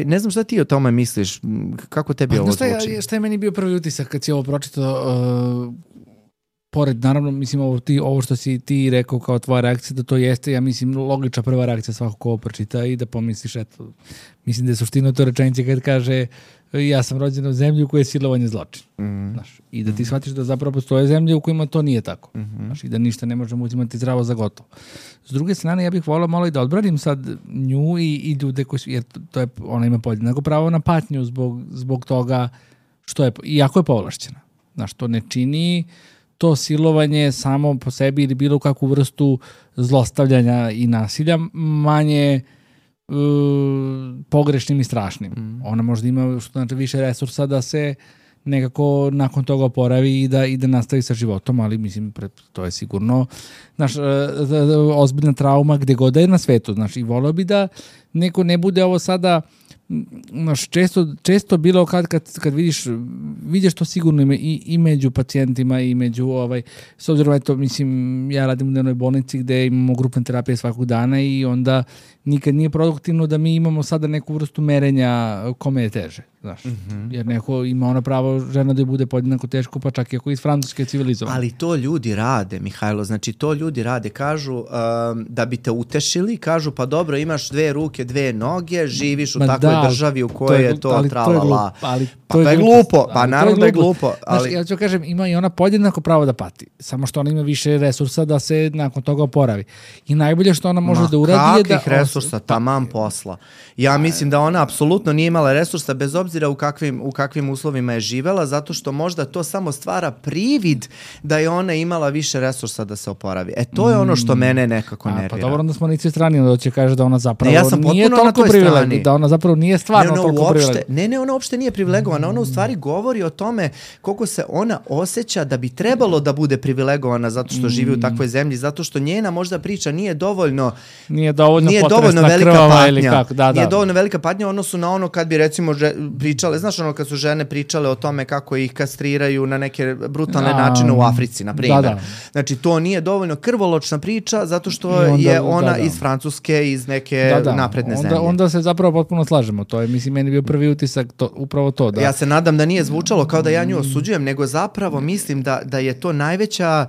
ne znam šta ti o tome misliš, kako tebi ovo zvuči? Šta je meni bio prvi utisak kad si ovo pročitao, pored, naravno, mislim, ovo što si ti rekao kao tvoja reakcija, da to jeste, ja mislim, logična prva reakcija svakog ko ovo pročita i da pomisliš, eto, mislim da je suština to rečenice kad kaže ja sam rođena u zemlji u kojoj je silovanje zločin. Znaš, i da ti shvatiš da zapravo postoje zemlje u kojima to nije tako. Znaš, i da ništa ne možemo uzimati zdravo za gotovo. S druge strane, ja bih volao malo i da odbranim sad nju i ljude koji su, jer ona ima podjednako pravo na patnju zbog toga što je, iako je povlašćena. Znaš, to ne čini to silovanje samo po sebi ili bilo kakvu vrstu zlostavljanja i nasilja manje pogrešnim i strašnim. Ona možda ima što znači više resursa da se nekako nakon toga oporavi i da nastavi sa životom, ali mislim to je sigurno ozbiljna trauma gde god je na svetu. Znači, i volio bi da neko ne bude ovo sada često bilo kad vidiš to sigurno i među pacijentima i među s obzirom eto, mislim, ja radim u dnevnoj bolnici gde imamo grupne terapije svakog dana i onda nikad nije produktivno da mi imamo sada neku vrstu merenja kome je teže, znaš. Jer neko ima ono pravo žena da je bude podjednako teško, pa čak i ako iz Francuske civilizovano. Ali to ljudi rade, Mihajlo, znači to ljudi rade, kažu da bi te utešili, kažu pa dobro, imaš 2 ruke, 2 noge, živiš u takvoj državi u kojoj je to tralala. To je glupo, pa naravno da je glupo. Znaš, ja ću kažem, ima i ona podjednako pravo da pati, samo što ona ima više resursa da se nakon toga oporavi. I najbolje što ona može da uradi je da... resursa, taman posla. Ja mislim da ona apsolutno nije imala resursa, bez obzira obzira u kakvim uslovima je živela, zato što možda to samo stvara privid da je ona imala više resursa da se oporavi. To je ono što mene nekako nervira. Pa dobro, onda smo nici strani, da će kaže da ona zapravo nije toliko privilegovana, da ona zapravo nije stvarno toliko privilegovana. Ne, ona uopšte nije privilegovana, ona u stvari govori o tome koliko se ona osjeća da bi trebalo da bude privilegovana zato što živi u takvoj zemlji, zato što njena možda priča nije dovoljno velika patnja. Nije dovoljno velika patnja u odnosu na ono kad bi recimo pričale, znaš ono kad su žene pričale o tome kako ih kastriraju na neke brutalne načine u Africi, na primjer. Znači to nije dovoljno krvoločna priča zato što je ona iz Francuske, iz neke napredne zemlje. Onda se zapravo potpuno slažemo. To je, mislim, meni bio prvi utisak upravo to. Da. Ja se nadam da nije zvučalo kao da ja nju osuđujem, nego zapravo mislim da je to najveća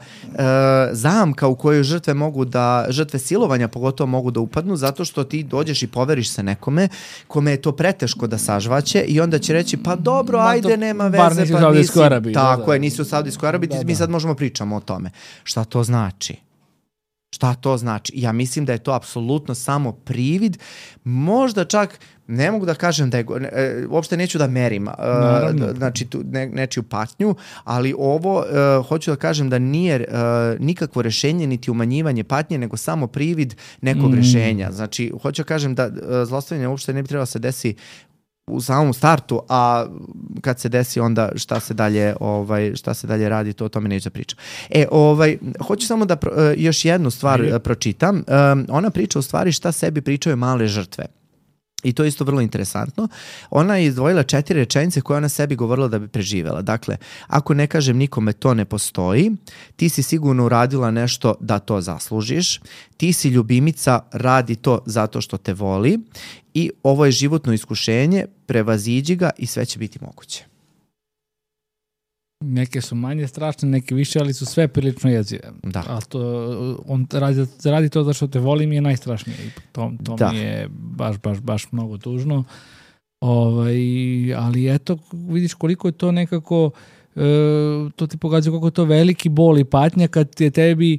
zamka u kojoj žrtve silovanja pogotovo mogu da upadnu, zato što ti dođeš i poveriš se nekome kome je to preteško da sažvaće i onda će reći pa dobro, ajde, nema veze. Bar nisi u Saudijskoj Arabiji. Tako je, nisi u Saudijskoj Arabiji, mi sad možemo pričamo o tome. Šta to znači? Šta to znači? Ja mislim da je to apsolutno samo privid, možda čak ne mogu da kažem da je, uopšte neću da merim znači nečiju patnju, ali ovo hoću da kažem da nije nikakvo rešenje niti umanjivanje patnje, nego samo privid nekog rešenja. Znači, hoću da kažem da zlostavljanje uopšte ne bi trebalo se desi u samom startu, a kad se desi onda šta se dalje radi, to o tome neću da pričam. Hoću samo da još jednu stvar pročitam. Ona priča u stvari šta sebi pričaju male žrtve. I to je isto vrlo interesantno. Ona je izdvojila 4 rečenice koje ona sebi govorila da bi preživela. Dakle, ako ne kažem nikome to ne postoji, ti si sigurno uradila nešto da to zaslužiš, ti si ljubimica, radi to zato što te voli i ovo je životno iskušenje, prevaziđi ga i sve će biti moguće. Neke su manje strašne, neke više, ali su sve prilično jezive. Da. A on radi to zašto te volim je najstrašnije. To mi je baš mnogo tužno. Ali eto, vidiš koliko je to nekako, to ti pokazuje koliko je to veliki bol i patnja kad je tebi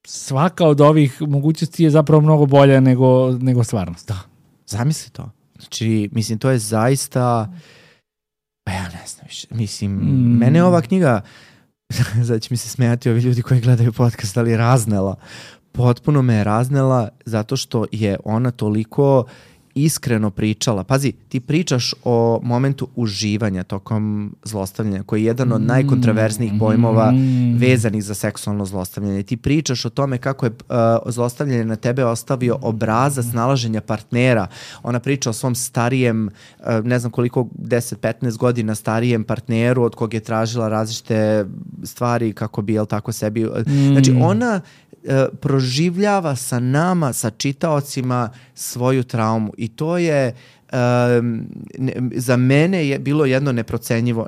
svaka od ovih mogućnosti je zapravo mnogo bolja nego stvarnost. Da, zamisli to. Znači, mislim, to je zaista... Ja ne znam više. Mislim, mene ova knjiga, sad će mi se smijati ovi ljudi koji gledaju podcast, ali raznela. Potpuno me je raznela zato što je ona toliko iskreno pričala. Pazi, ti pričaš o momentu uživanja tokom zlostavljanja, koji je jedan od najkontraverznijih pojmova vezanih za seksualno zlostavljanje. Ti pričaš o tome kako je zlostavljanje na tebe ostavio obrazac nalaženja partnera. Ona priča o svom starijem, ne znam koliko, 10-15 godina starijem partneru od kog je tražila različite stvari kako bi, tako sebi... Znači, ona proživljava sa nama, sa čitaocima svoju traumu i to je za mene je bilo jedno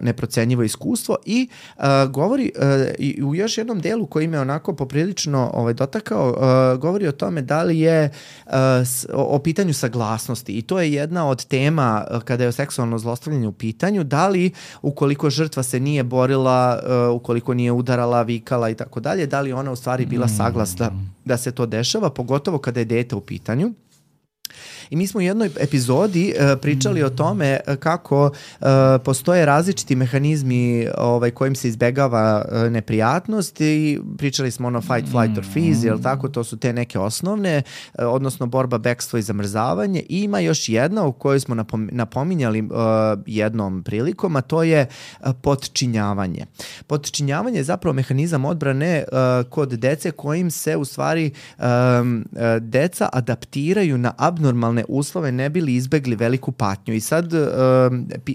neprocenjivo iskustvo i govori i u još jednom delu koji me onako poprilično dotakao, govori o tome da li je o pitanju saglasnosti i to je jedna od tema kada je o seksualno zlostavljanje u pitanju, da li ukoliko žrtva se nije borila, ukoliko nije udarala, vikala i tako dalje, da li ona u stvari bila saglasna da se to dešava, pogotovo kada je dete u pitanju. I mi smo u jednoj epizodi pričali o tome kako postoje različiti mehanizmi kojim se izbegava neprijatnost i pričali smo ono fight, flight or freeze, jel tako, to su te neke osnovne, odnosno borba, bekstvo i zamrzavanje. I ima još jedna u kojoj smo napominjali jednom prilikom, a to je potčinjavanje. Potčinjavanje je zapravo mehanizam odbrane kod dece kojim se u stvari deca adaptiraju na abnormalne uslove ne bi li izbegli veliku patnju. I sad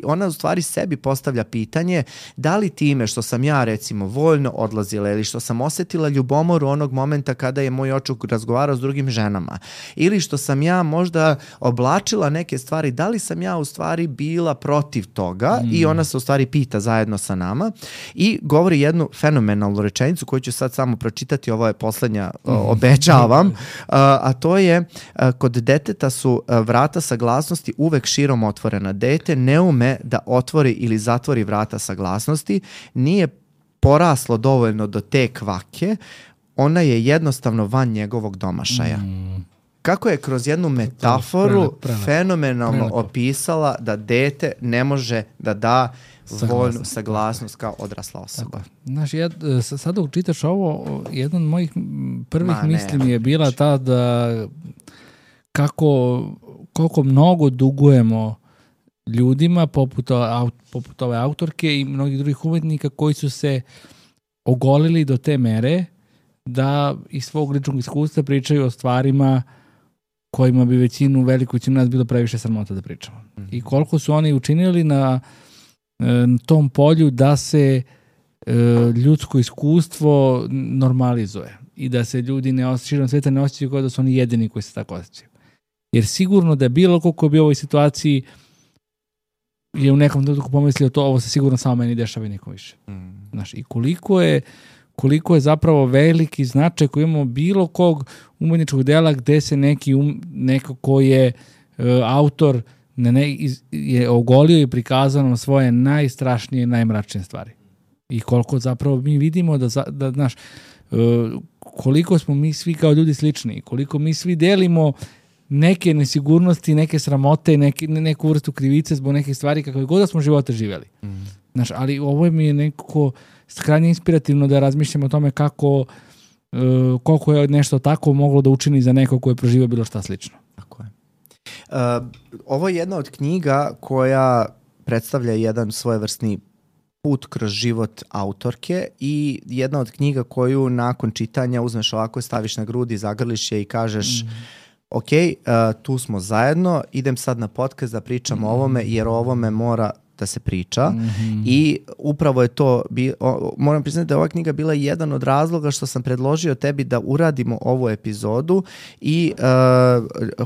ona u stvari sebi postavlja pitanje da li time što sam ja recimo voljno odlazila ili što sam osjetila ljubomoru onog momenta kada je moj očuk razgovarao s drugim ženama ili što sam ja možda oblačila neke stvari, da li sam ja u stvari bila protiv toga i ona se u stvari pita zajedno sa nama i govori jednu fenomenalnu rečenicu koju ću sad samo pročitati, ovo je poslednja, obećavam, a to je kod deteta su vrata saglasnosti uvek širom otvorena. Dete ne ume da otvori ili zatvori vrata saglasnosti, nije poraslo dovoljno do te kvake, ona je jednostavno van njegovog domašaja. kako je kroz jednu metaforu fenomenalno opisala da dete ne može da da voljnu saglasnost kao odrasla osoba. Znaš, sad dok čitaš ovo, jedan od mojih prvih misli mi je bila ta da koliko mnogo dugujemo ljudima poput ove autorke i mnogih drugih umetnika koji su se ogolili do te mere da iz svog ličnog iskustva pričaju o stvarima kojima bi veliku većinu nas bilo previše sramota da pričamo. I koliko su oni učinili na tom polju da se ljudsko iskustvo normalizuje i da se ljudi širom sveta ne osjećaju kao da su oni jedini koji se tako osjećaju. Jer sigurno da je bilo koliko bi u ovoj situaciji je u nekom trenutku pomislio to, ovo se sigurno samo meni dešava i nikom više. Znaš, i koliko je zapravo veliki značaj koji imamo bilo kog umetničkog dela gde se neko ko je autor je ogolio i prikazao nam svoje najstrašnije i najmračnije stvari. I koliko zapravo mi vidimo da znaš, koliko smo mi svi kao ljudi slični, koliko mi svi delimo neke nesigurnosti, neke sramote, neku vrstu krivice zbog nekih stvari kakve god da smo živote živjeli. Znaš, ali ovo mi je nekako krajnje inspirativno da razmišljamo o tome koliko je nešto tako moglo da učini za neko ko je proživio bilo šta slično. Tako je. Ovo je jedna od knjiga koja predstavlja jedan svojevrsni put kroz život autorke i jedna od knjiga koju nakon čitanja uzmeš ovako, staviš na grudi, zagrliš je i kažeš ok, tu smo zajedno, idem sad na podcast da pričam o ovome jer o ovome mora da se priča i upravo je to, moram priznati da je ova knjiga bila jedan od razloga što sam predložio tebi da uradimo ovu epizodu i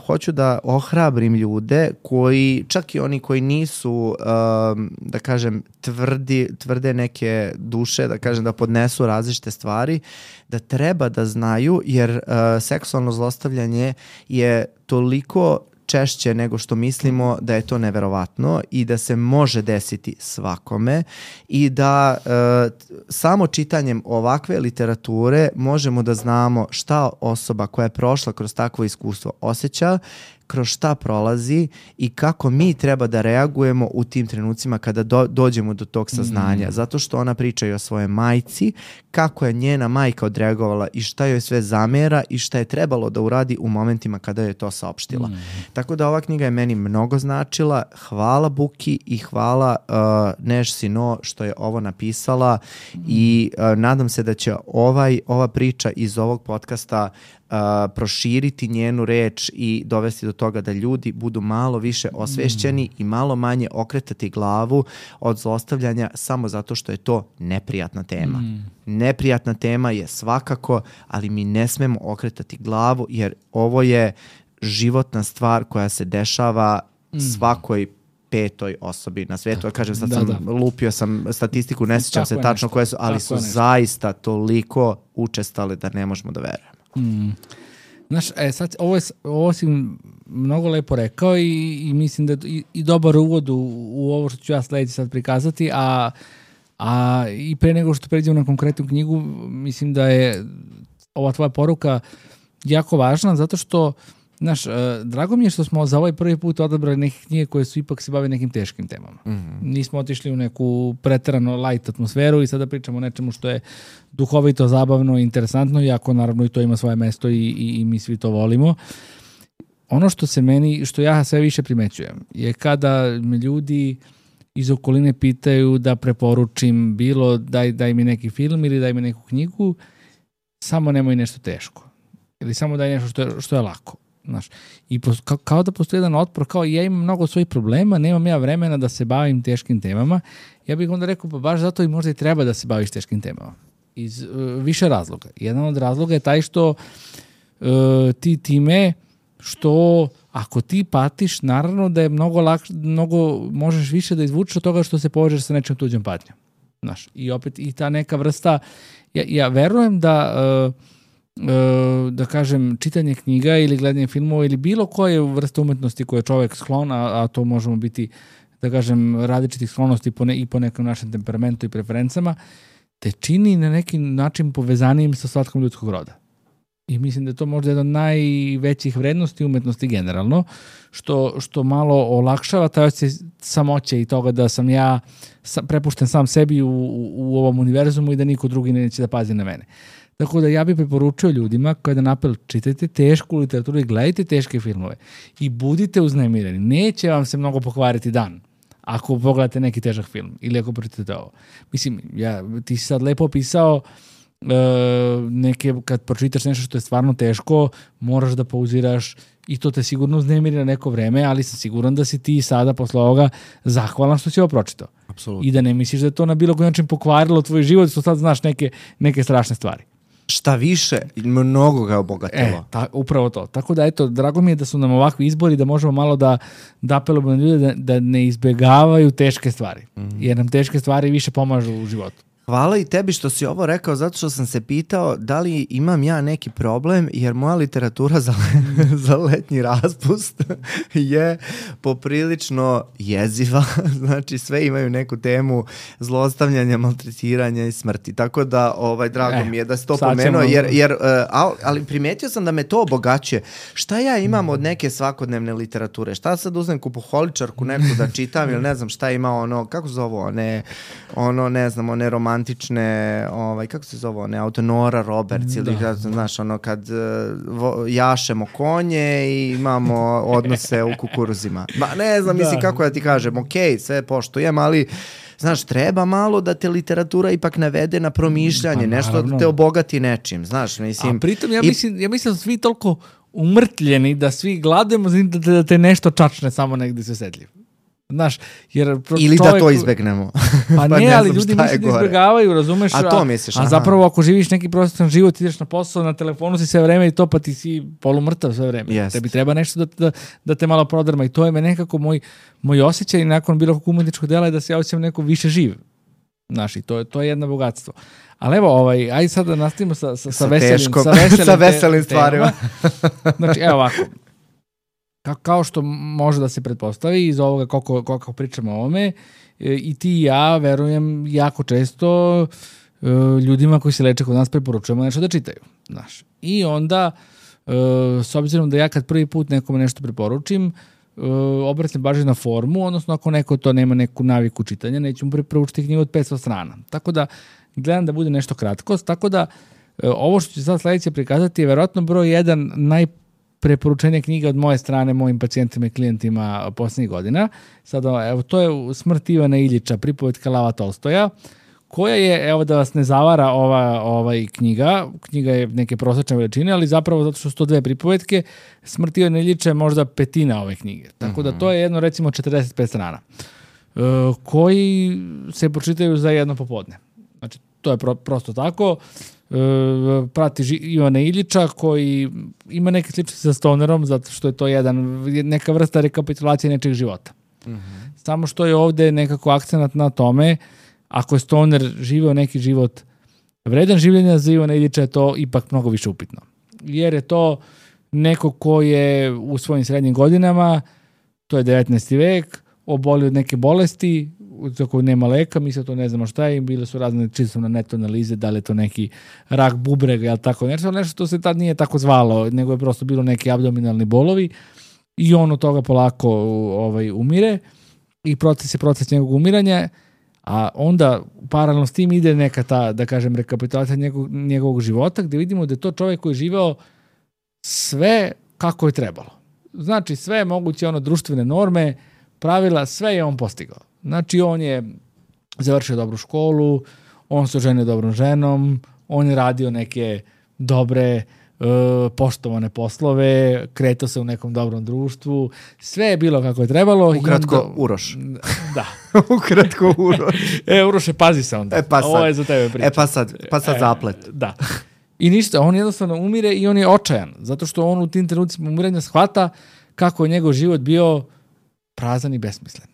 hoću da ohrabrim ljude koji, čak i oni koji nisu, da kažem, tvrde neke duše, da kažem da podnesu različite stvari, da treba da znaju jer seksualno zlostavljanje je toliko češće nego što mislimo da je to neverovatno i da se može desiti svakome i da samo čitanjem ovakve literature možemo da znamo šta osoba koja je prošla kroz takvo iskustvo osjeća, kroz šta prolazi i kako mi treba da reagujemo u tim trenucima kada dođemo do tog saznanja. Zato što ona priča i o svojoj majci, kako je njena majka odreagovala i šta joj sve zamera i šta je trebalo da uradi u momentima kada je to saopštila. Tako da ova knjiga je meni mnogo značila. Hvala Buki i hvala Neš Sino što je ovo napisala i nadam se da će ova priča iz ovog podcasta proširiti njenu reč i dovesti do toga da ljudi budu malo više osvešćeni i malo manje okretati glavu od zlostavljanja samo zato što je to neprijatna tema. Neprijatna tema je svakako, ali mi ne smemo okretati glavu jer ovo je životna stvar koja se dešava svakoj petoj osobi na svijetu. Ja kažem, sad lupio sam statistiku, ne sjećam se tačno koje su, ali su zaista toliko učestale da ne možemo da verujemo. Znaš, sad, ovo si mnogo lepo rekao i mislim da i dobar uvod u ovo što ću ja sledeći sad prikazati, a i pre nego što pređemo na konkretnu knjigu, mislim da je ova tvoja poruka jako važna, zato što znaš, drago mi je što smo za ovaj prvi put odabrali neke knjige koje su ipak se bave nekim teškim temama. Nismo otišli u neku preterano light atmosferu i sada pričamo o nečemu što je duhovito, zabavno i interesantno, iako naravno i to ima svoje mesto i mi svi to volimo. Ono što ja sve više primećujem je kada me ljudi iz okoline pitaju da preporučim bilo daj mi neki film ili daj mi neku knjigu, samo nemoj nešto teško. Ili samo daj nešto što je lako. Znaš, i kao da postoji jedan otpor, kao ja imam mnogo svojih problema, nemam ja vremena da se bavim teškim temama, ja bih onda rekao, pa baš zato i možda i treba da se baviš teškim temama. Iz više razloga. Jedan od razloga je taj što ti time što ako ti patiš, naravno da je mnogo možeš više da izvučeš od toga što se povežeš sa nečim tuđom patnjom. Znaš, i opet i ta neka vrsta, ja verujem da kažem, čitanje knjiga ili gledanje filmova ili bilo koje vrste umetnosti koje je čovjek sklon, a to možemo biti, da kažem, različitih sklonosti i po nekom našem temperamentu i preferencama, te čini na neki način povezanijim sa svatkom ljudskog roda. I mislim da je to možda jedna od najvećih vrednosti umetnosti generalno, što malo olakšava taj osjećaj samoće i toga da sam ja prepušten sam sebi u ovom univerzumu i da niko drugi neće da pazi na mene. Tako da ja bih preporučio ljudima kao jedan apel, čitajte tešku literaturu i gledajte teške filmove i budite uznemireni. Neće vam se mnogo pokvariti dan ako pogledate neki težak film ili ako pročitate ovo. Mislim, ti si sad lepo opisao kad pročitaš nešto što je stvarno teško, moraš da pauziraš i to te sigurno uznemiri na neko vreme, ali sam siguran da si ti sada posle ovoga zahvalan što si ovo pročitao. Apsolutno. I da ne misliš da je to na bilo koji način pokvarilo tvoj život, što sad znaš neke strašne stvari. Šta više, mnogo ga obogatilo. Upravo to. Tako da, eto, drago mi je da su nam ovakvi izbori, da možemo malo da apelujemo na ljude da ne izbegavaju teške stvari. Jer nam teške stvari više pomažu u životu. Hvala i tebi što si ovo rekao, zato što sam se pitao da li imam ja neki problem, jer moja literatura za letnji raspust je poprilično jeziva. Znači, sve imaju neku temu zlostavljanja, maltretiranja i smrti. Tako da, drago mi je da si to pomenuo, ali primetio sam da me to obogaćuje. Šta ja imam od neke svakodnevne literature? Šta sad uzmem kupoholičarku neku da čitam ili ne znam šta ima kako se zove one romantične, kako se zove, Nora Roberts ili znaš, kad jašemo konje i imamo odnose u kukuruzima. Ne znam, mislim kako da ti kažem, sve poštujem, ali znaš, treba malo da te literatura ipak navede na promišljanje, nešto da te obogati nečim, znaš, mislim. A pritom ja mislim da svi toliko umrtljeni da svi gladujemo da te nešto čačne samo negdje se sedljiv. Znaš, ili da to izbegnemo. Pa ne, ali ljudi misle da izbjegavaju, razumeš? A to misliš? A zapravo ako živiš neki prosječan život, ideš na posao, na telefonu si sve vreme i to, pa ti si polumrtav sve vreme. Tebi treba nešto da te malo prodrma i to je me nekako moj osjećaj nakon bilo kakvog umetničkog dela je da se ja osjećam neko više živ. Znaš, i to je jedno bogatstvo. Ali evo, ajde sad da nastavimo sa veselim stvarima. Znači, evo ovako. Kao što može da se pretpostavi iz ovoga koliko pričamo o ovome, i ti i ja verujem jako često ljudima koji se leče kod nas preporučujemo nešto da čitaju. Znaš. I onda, s obzirom da ja kad prvi put nekome nešto preporučim, obratim baš na formu, odnosno ako neko to nema neku naviku čitanja, neću mu preporučiti knjigu od 500 strana. Tako da gledam da bude nešto kratko, tako da ovo što ću sad sledeće prikazati je verovatno broj 1 preporučenje knjiga od moje strane mojim pacijentima i klijentima posljednjih godina. Sada, evo, to je Smrt Ivana Iljića, pripovetka Lava Tolstoja, koja je, evo da vas ne zavara ova knjiga. Knjiga je neke prosječne veličine, ali zapravo zato što su to 2 pripovetke, Smrt Ivana Iljića je možda 1/5 ove knjige. Tako da to je jedno, recimo, 45 strana, koji se pročitaju za jedno popodne. Znači, to je prosto tako. Prati Ivana Iljića koji ima neke sličnosti sa Stonerom zato što je to neka vrsta rekapitulacije nečeg života. Samo što je ovdje nekako akcenat na tome, ako je Stoner živeo neki život vredan življenja, za Ivana Iljića je to ipak mnogo više upitno. Jer je to neko ko je u svojim srednjim godinama, to je 19. vek, obolio od neke bolesti za koju nema leka, mi se to ne znamo šta je, bile su razne čisto na netu analize, da li je to neki rak bubrega ili tako nešto što se tad nije tako zvalo, nego je prosto bilo neki abdominalni bolovi i on od toga polako umire i proces njegovog umiranja, a onda paralelno s tim ide neka ta, da kažem, rekapitulacija njegovog života, gdje vidimo da je to čovjek koji je živeo sve kako je trebalo. Znači sve moguće društvene norme, pravila, sve je on postigao. Znači, on je završio dobru školu, on se oženio dobrom ženom, on je radio neke dobre, poštovane poslove, kretao se u nekom dobrom društvu, sve je bilo kako je trebalo. Ukratko, Uroš. Da. Ukratko, Uroš. Uroše, pazi se onda. Ovo je za tebe priča. Pa sad zaplet. Da. I ništa, on jednostavno umire i on je očajan, zato što on u tim trenucima umirenja shvata kako je njegov život bio prazan i besmislen.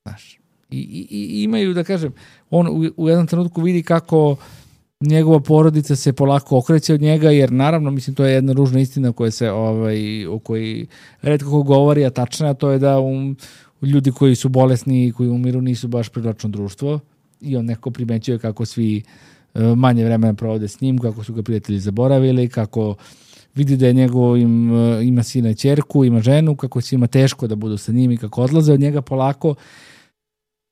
Znaš. I imaju, da kažem, on u jednom trenutku vidi kako njegova porodica se polako okreće od njega, jer naravno, mislim, to je jedna ružna istina o kojoj retko ko govori, a tačna, to je da ljudi koji su bolesni i koji umiru nisu baš privlačno društvo i on nekako primećuje kako svi manje vremena provode s njim, kako su ga prijatelji zaboravili, kako vidi da je ima sina i ćerku, ima ženu, kako će ima teško da budu sa njim i kako odlaze od njega polako.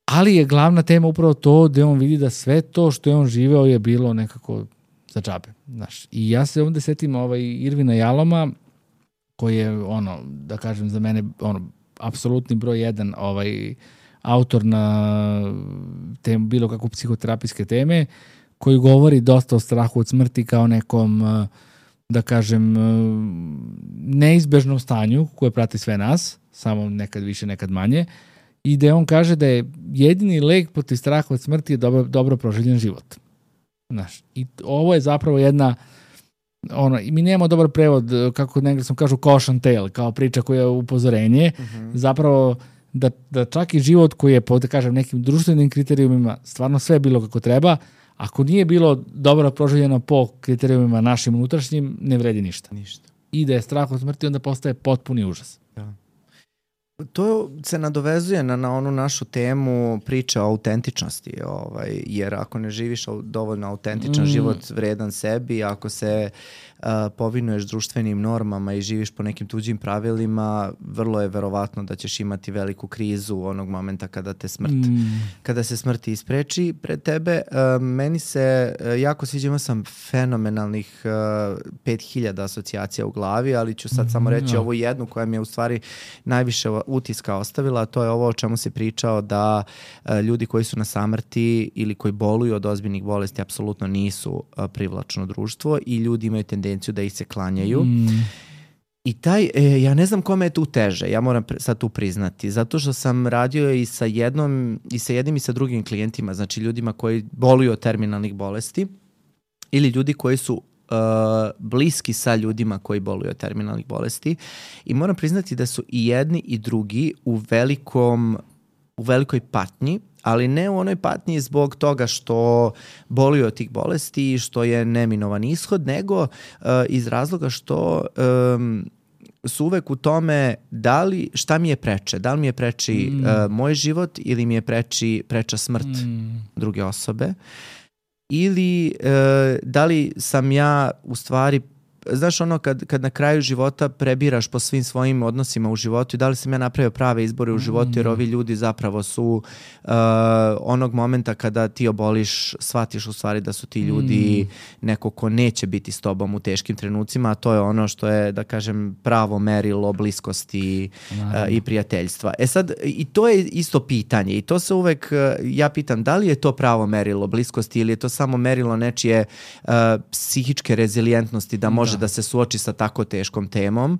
Ali je glavna tema upravo to da on vidi da sve to što je on živeo je bilo nekako za džabe. Znaš. I ja se ovdje setim Irvina Jaloma, koji je, da kažem, za mene apsolutni broj jedan autor na bilo kakvu psihoterapijske teme, koji govori dosta o strahu od smrti kao nekom, da kažem, neizbežnom stanju koje prati sve nas, samo nekad više, nekad manje, i da on kaže da je jedini lek protiv straha od smrti je dobro proživljen život. Znaš, i ovo je zapravo jedna, i mi nemamo dobar prevod, kako na engleskom kažu caution tale, kao priča koja je upozorenje, zapravo da čak i život koji je po, da kažem, nekim društvenim kriterijumima stvarno sve bilo kako treba, ako nije bilo dobro proživljeno po kriterijumima našim unutrašnjim, ne vredi ništa. I da je strah od smrti, onda postaje potpuni užas. Da. To se nadovezuje na onu našu temu priče o autentičnosti, jer ako ne živiš dovoljno autentičan život vredan sebi, ako se povinuješ društvenim normama i živiš po nekim tuđim pravilima, vrlo je verovatno da ćeš imati veliku krizu onog momenta kada se smrt ispreči pred tebe. Meni se jako sviđa, imao sam fenomenalnih 5000 asocijacija u glavi, ali ću sad samo reći ovu jednu koja mi je u stvari najviše utiska ostavila, a to je ovo o čemu si pričao, da ljudi koji su na samrti ili koji boluju od ozbiljnih bolesti apsolutno nisu privlačno društvo i ljudi imaju tendenciju da ih se klanjaju. I ja ne znam kome je tu teže, ja moram sad tu priznati, zato što sam radio i sa jednim i sa drugim klijentima, znači ljudima koji boluju od terminalnih bolesti ili ljudi koji su bliski sa ljudima koji boluju od terminalnih bolesti, i moram priznati da su i jedni i drugi u velikoj patnji, ali ne u onoj patnji zbog toga što boluju od tih bolesti i što je neminovan ishod, nego iz razloga što su uvek u tome šta mi je preče, da li mi je preči moj život ili mi je preča smrt druge osobe, ili da li sam ja u stvari, znaš kad na kraju života prebiraš po svim svojim odnosima u životu i da li sam ja napravio prave izbore u životu, jer ovi ljudi zapravo su onog momenta kada ti oboliš, shvatiš u stvari da su ti ljudi neko ko neće biti s tobom u teškim trenucima, a to je ono što je, da kažem, pravo merilo bliskosti i prijateljstva. Sad, i to je isto pitanje i to se uvek, ja pitam, da li je to pravo merilo bliskosti ili je to samo merilo nečije psihičke rezilijentnosti da može da se suoči sa tako teškom temom.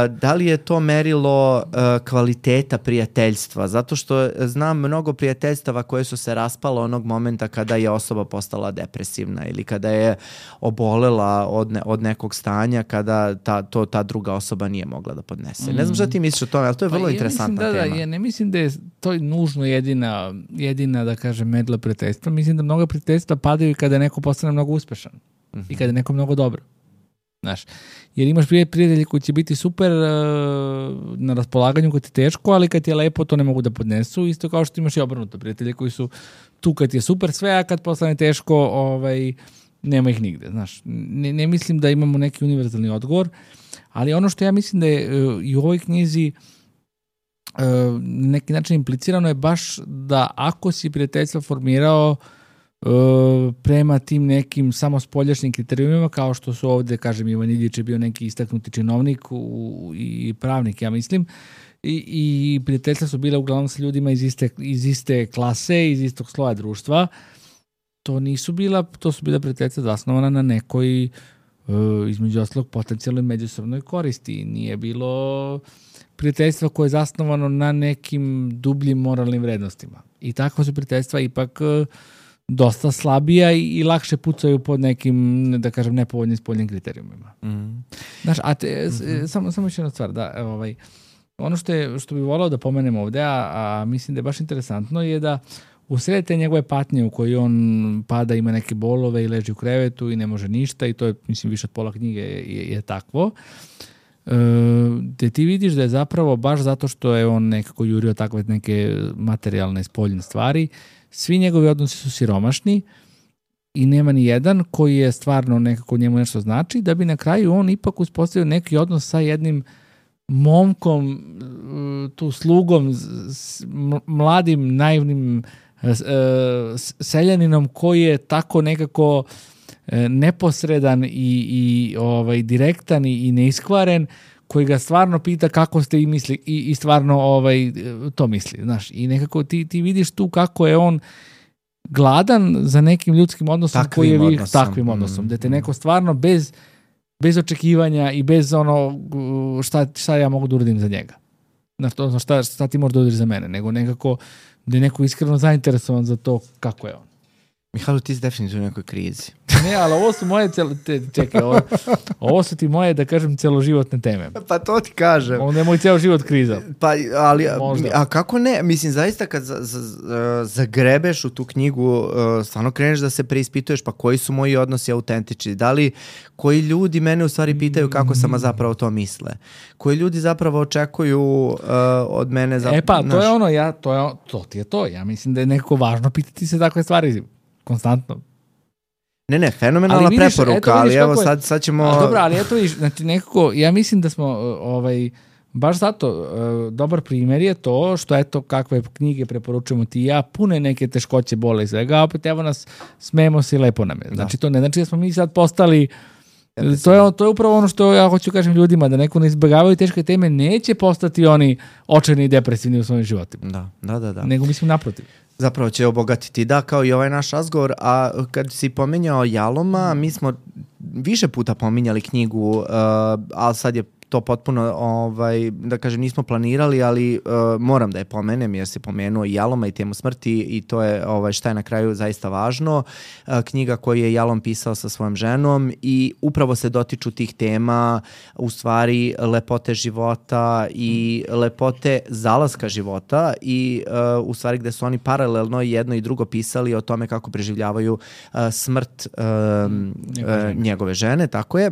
Da li je to merilo kvaliteta prijateljstva? Zato što znam mnogo prijateljstava koje su se raspala onog momenta kada je osoba postala depresivna ili kada je obolela od nekog stanja, kada ta druga osoba nije mogla da podnese. Ne znam šta ti misliš o tome, ali to je vrlo interesantna tema. Ja ne mislim da je to nužno jedina, da kažem, merilo prijateljstva. Mislim da mnogo prijateljstva padaju kada neko postane mnogo uspešan i kada je neko mnogo dobro. Znaš, jer imaš prijatelji koji će biti super na raspolaganju kad ti je teško, ali kad ti je lepo to ne mogu da podnesu, isto kao što imaš i obrnuto, prijatelji koji su tu kad ti je super sve, a kad postane teško nema ih nigde. Znaš, ne mislim da imamo neki univerzalni odgovor, ali ono što ja mislim da je i u ovoj knjizi na neki način implicirano je baš da ako si prijateljstvo formirao prema tim nekim samo spoljašnjim kriterijumima, kao što su ovdje, kažem, Ivan Iljić je bio neki istaknuti činovnik i pravnik, ja mislim, i prijateljstva su bile uglavnom sa ljudima iz iste klase, iz istog sloja društva. To su bila prijateljstva zasnovana na nekoj, između ostalog, potencijalnoj međusobnoj koristi. Nije bilo prijateljstva koje je zasnovano na nekim dubljim moralnim vrednostima. I takva su prijateljstva ipak dosta slabija i lakše pucaju pod nekim, da kažem, nepovoljnim spoljnim kriterijumima. Znaš, samo još jedna stvar, ono što bi volao da pomenem ovdje, a mislim da je baš interesantno, je da u sred te njegove patnje u kojoj on pada, ima neke bolove i leži u krevetu i ne može ništa, i to je, mislim, više od pola knjige je takvo, gde ti vidiš da je zapravo baš zato što je on nekako jurio takve neke materijalne spoljne stvari, svi njegovi odnosi su siromašni i nema ni jedan koji je stvarno nekako njemu nešto znači, da bi na kraju on ipak uspostavio neki odnos sa jednim momkom, tu slugom, mladim, naivnim seljaninom koji je tako nekako neposredan i direktan i neiskvaren, koji ga stvarno pita kako ste i stvarno to misli, znaš. I nekako ti vidiš tu kako je on gladan za nekim ljudskim odnosom takvim odnosom, da te neko stvarno bez očekivanja i bez šta ja mogu da uradim za njega. Šta ti možeš da uradiš za mene, nego nekako da je neko iskreno zainteresovan za to kako je on. Mihajlo, ti si definitivno u nekoj krizi. Ne, ali ovo su moje ovo su ti moje, da kažem, celoživotne teme. Pa to ti kažem. Onda je moj ceo život kriza. Pa, ali, a kako ne? Mislim, zaista kad zagrebeš u tu knjigu, stvarno kreneš da se preispituješ, pa koji su moji odnosi autentični? Da li koji ljudi mene u stvari pitaju kako sam zapravo to misle? Koji ljudi zapravo očekuju od mene? To je ono, to ti je to. Ja mislim da je nekako važno pitati se takve stvari konstantno. Ne, fenomenalna preporuka, ali evo sad ćemo... Dobro, ali eto viš, znači nekako, ja mislim da smo baš zato dobar primjer je to što eto kakve knjige preporučujemo ti i ja, pune neke teškoće, bole i svega, a opet evo nas, smejemo se i lepo nam je. Znači to ne znači da smo mi sad postali... To je upravo ono što ja hoću kažem ljudima, da neko ne izbjegavaju teške teme, neće postati oni očajni i depresivni u svojim životima. Da. Nego mislim naprotiv. Zapravo će obogatiti, kao i ovaj naš razgovor, a kad si pominjao Jaloma, mi smo više puta pominjali knjigu, ali sad je to potpuno, da kažem, nismo planirali, ali moram da je pomenem jer si pomenuo i Jaloma i temu smrti i to je šta je na kraju zaista važno. Knjiga koju je Jalom pisao sa svojom ženom i upravo se dotiču tih tema, u stvari lepote života i lepote zalaska života i u stvari gde su oni paralelno jedno i drugo pisali o tome kako preživljavaju smrt njegove žene, tako je.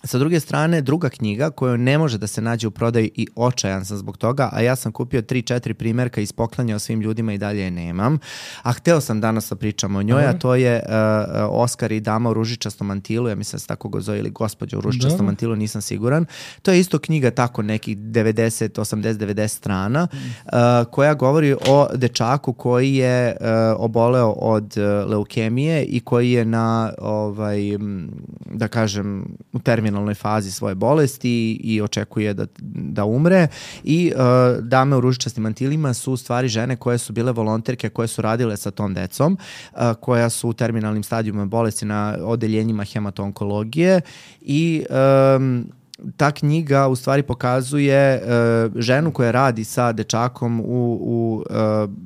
Sa druge strane, druga knjiga koja ne može da se nađe u prodaju i očajan sam zbog toga, a ja sam kupio 3-4 primjerka i ispoklanjao svim ljudima i dalje je nemam. A hteo sam danas da pričam o njoj, a to je Oskar i dama u ružičastom mantilu, ja mislim da se tako go zove, ili gospođa u ružičastom mantilu, nisam siguran. To je isto knjiga tako nekih 90, 80, 90 strana, koja govori o dečaku koji je oboleo od leukemije i koji je na, da kažem, u terminalnoj fazi svoje bolesti i očekuje da umre i dame u ružičastim mantilima su u stvari žene koje su bile volonterke, koje su radile sa tom decom, koja su u terminalnim stadijima bolesti na odeljenjima hemato-onkologije i ta knjiga u stvari pokazuje ženu koja radi sa dečakom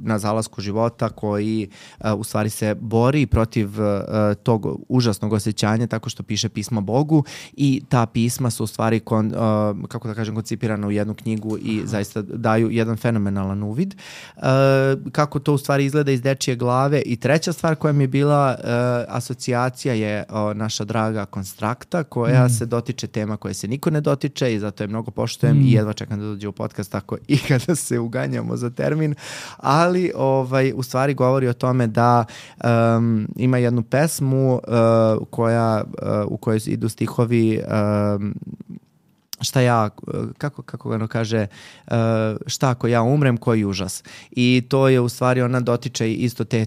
na zalasku života, koji u stvari se bori protiv tog užasnog osjećanja tako što piše pismo Bogu i ta pisma su u stvari kako da kažem koncipirana u jednu knjigu i zaista daju jedan fenomenalan uvid. Kako to u stvari izgleda iz dečije glave. I treća stvar koja mi je bila asocijacija je naša draga Konstrakta, koja se dotiče tema koje se niko ne dotiče i zato je mnogo poštujem i jedva čekam da dođe u podcast tako i kada se uganjamo za termin, ali u stvari govori o tome da ima jednu pesmu u kojoj idu stihovi kako ga ono kaže, šta ako ja umrem, koji užas. I to je u stvari, ona dotiče isto te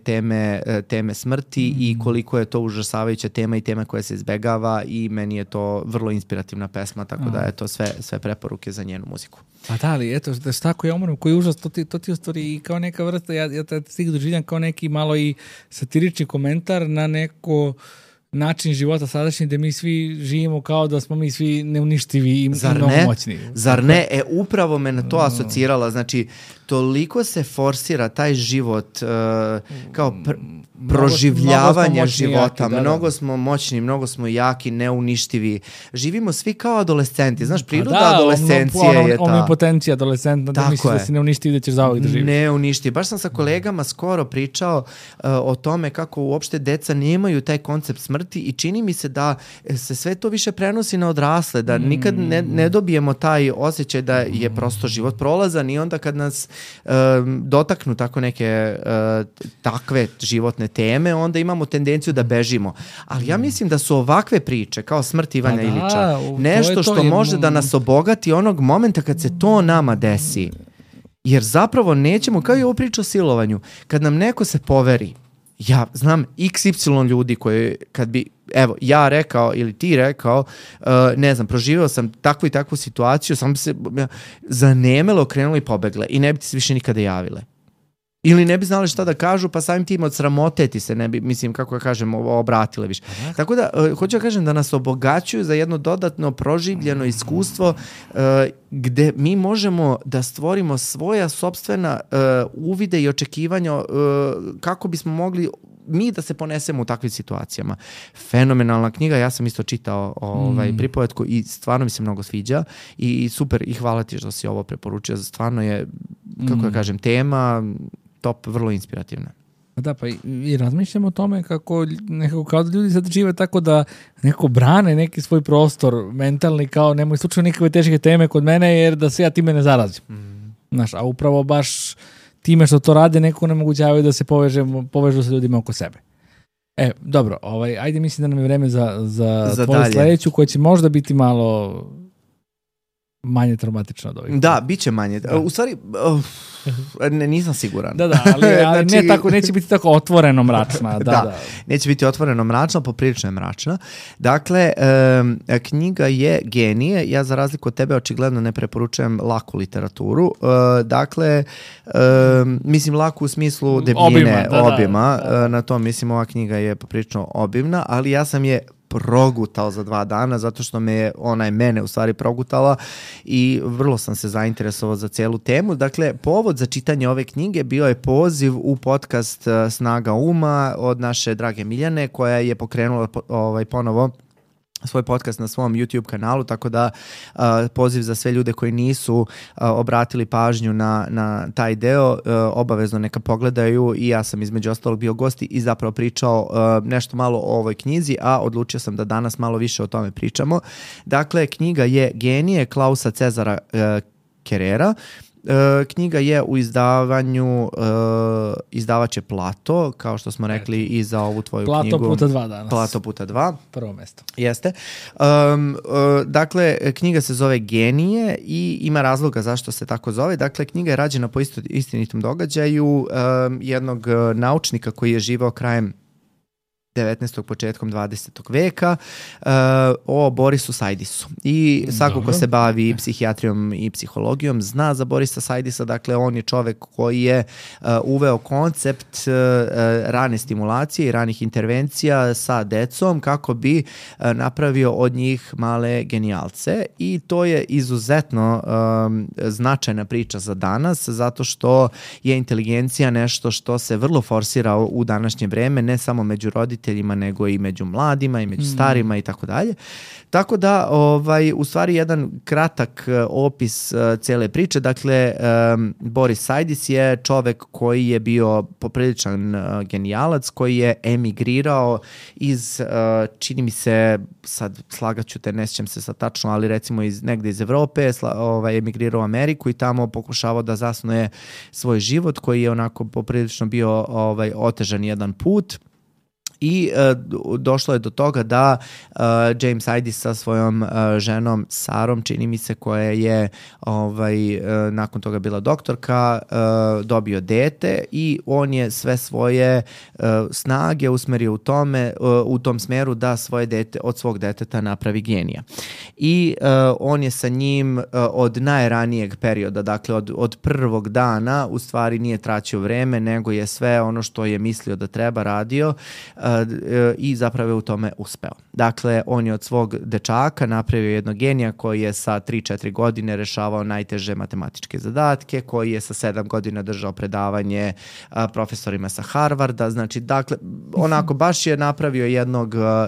teme smrti i koliko je to užasavajuća tema i tema koja se izbegava i meni je to vrlo inspirativna pesma, tako da je to sve preporuke za njenu muziku. Pa da, ali eto, šta ako ja umrem, koji užas, to ti u stvari kao neka vrsta, ja stig doživljam kao neki malo i satirični komentar na neko način života sadašnji gde mi svi živimo kao da smo mi svi neuništivi i mnogo moćni. Zar ne? Upravo me na to asocirala. Znači, toliko se forsira taj život kao proživljavanje života. Mnogo smo moćni, mnogo smo jaki, neuništivi. Živimo svi kao adolescenti. Znaš, priroda adolescencije je ta. Omnipotencija adolescentna, da misliš da si neuništiv da ćeš zauvijek da živiš. Neuništiv. Baš sam sa kolegama skoro pričao o tome kako uopšte deca nemaju taj koncept smrti i čini mi se da se sve to više prenosi na odrasle, da nikad ne dobijemo taj osjećaj da je prosto život prolazan i onda kad nas dotaknu tako neke takve životne teme, onda imamo tendenciju da bežimo. Ali ja mislim da su ovakve priče, kao smrt Ivana Ilića, nešto što može da nas obogati onog momenta kad se to nama desi. Jer zapravo nećemo, kao i ovo priča o silovanju, kad nam neko se poveri, ja znam XY ljudi koji kad bi, evo, ja rekao ili ti rekao, ne znam, proživio sam takvu i takvu situaciju, sam bi se zanemelo, okrenuli i pobegle i ne bi ti se više nikada javile. Ili ne bi znali šta da kažu, pa samim tim od sramote ti se ne bi, mislim, kako ja kažem, obratile više. Tako da, hoću da kažem da nas obogaćuju za jedno dodatno proživljeno iskustvo gde mi možemo da stvorimo svoja sopstvena uvide i očekivanja kako bismo mogli mi da se ponesemo u takvim situacijama. Fenomenalna knjiga, ja sam isto čitao pripovetku i stvarno mi se mnogo sviđa i super, i hvala ti što si ovo preporučio, stvarno je, kako ja kažem, tema top, vrlo inspirativna. Da, pa i razmišljamo o tome kako nekako kao da ljudi sad žive tako da nekako brane neki svoj prostor mentalni, kao nemoj slučaju nikakve teške teme kod mene jer da se ja time ne zarazim. Znaš, a upravo baš time što to rade neko nemogućavaju da se povežu sa ljudima oko sebe. Dobro, ajde, mislim da nam je vreme za tvoju sledeću, koja će možda biti malo manje traumatično od ovih. Da, bit će manje. U stvari, nisam siguran. Da, ali znači, ne tako, neće biti tako otvoreno mračna. Da, neće biti otvoreno mračna, poprilično je mračna. Dakle, knjiga je genije. Ja za razliku od tebe očigledno ne preporučujem laku literaturu. Dakle, mislim laku u smislu debljine, obima. Na to mislim, ova knjiga je poprilično obimna, ali ja sam je progutao za 2 dana, zato što ona je mene u stvari progutala i vrlo sam se zainteresovao za celu temu. Dakle, povod za čitanje ove knjige bio je poziv u podcast Snaga uma od naše drage Miljane, koja je pokrenula ponovo svoj podcast na svom YouTube kanalu, tako da poziv za sve ljude koji nisu obratili pažnju na taj deo, obavezno neka pogledaju, i ja sam između ostalog bio gost i zapravo pričao nešto malo o ovoj knjizi, a odlučio sam da danas malo više o tome pričamo. Dakle, knjiga je Genije Klausa Cezara Kerera. Knjiga je u izdavanju, izdavač je Plato, kao što smo rekli i za ovu tvoju knjigu. Plato puta 2 danas. Plato puta 2. Prvo mesto. Jeste. Dakle, knjiga se zove Genije i ima razloga zašto se tako zove. Dakle, knjiga je rađena po istinitom događaju jednog naučnika koji je živeo krajem 19. početkom 20. veka o Borisu Sajdisu. I svako ko se bavi psihijatrijom i psihologijom zna za Borisa Sajdisa. Dakle, on je čovek koji je uveo koncept rane stimulacije i ranih intervencija sa decom kako bi napravio od njih male genijalce, i to je izuzetno značajna priča za danas, zato što je inteligencija nešto što se vrlo forsira u današnje vreme, ne samo među roditeljima, nego i među mladima i među starima i tako dalje. Tako da, u stvari jedan kratak opis cele priče. Dakle, Boris Sajdis je čovek koji je bio popriličan genijalac, koji je emigrirao iz, čini mi se, sad slagaću te, ne sjećam se sad tačno, ali recimo negde iz Evrope, emigrirao u Ameriku i tamo pokušavao da zasnuje svoj život, koji je onako poprilično bio otežan jedan put. I došlo je do toga da James Sajdis sa svojom ženom Sarom, čini mi se, koja je nakon toga bila doktorka, dobio dete, i on je sve svoje snage usmerio u tom smeru da svoje dete, od svog deteta napravi genija. I on je sa njim od najranijeg perioda, dakle od prvog dana, u stvari nije traćio vreme, nego je sve ono što je mislio da treba radio, i zapravo je u tome uspeo. Dakle, on je od svog dečaka napravio jednog genija koji je sa 3-4 godine rešavao najteže matematičke zadatke, koji je sa 7 godina držao predavanje profesorima sa Harvarda. Znači, dakle, onako baš je napravio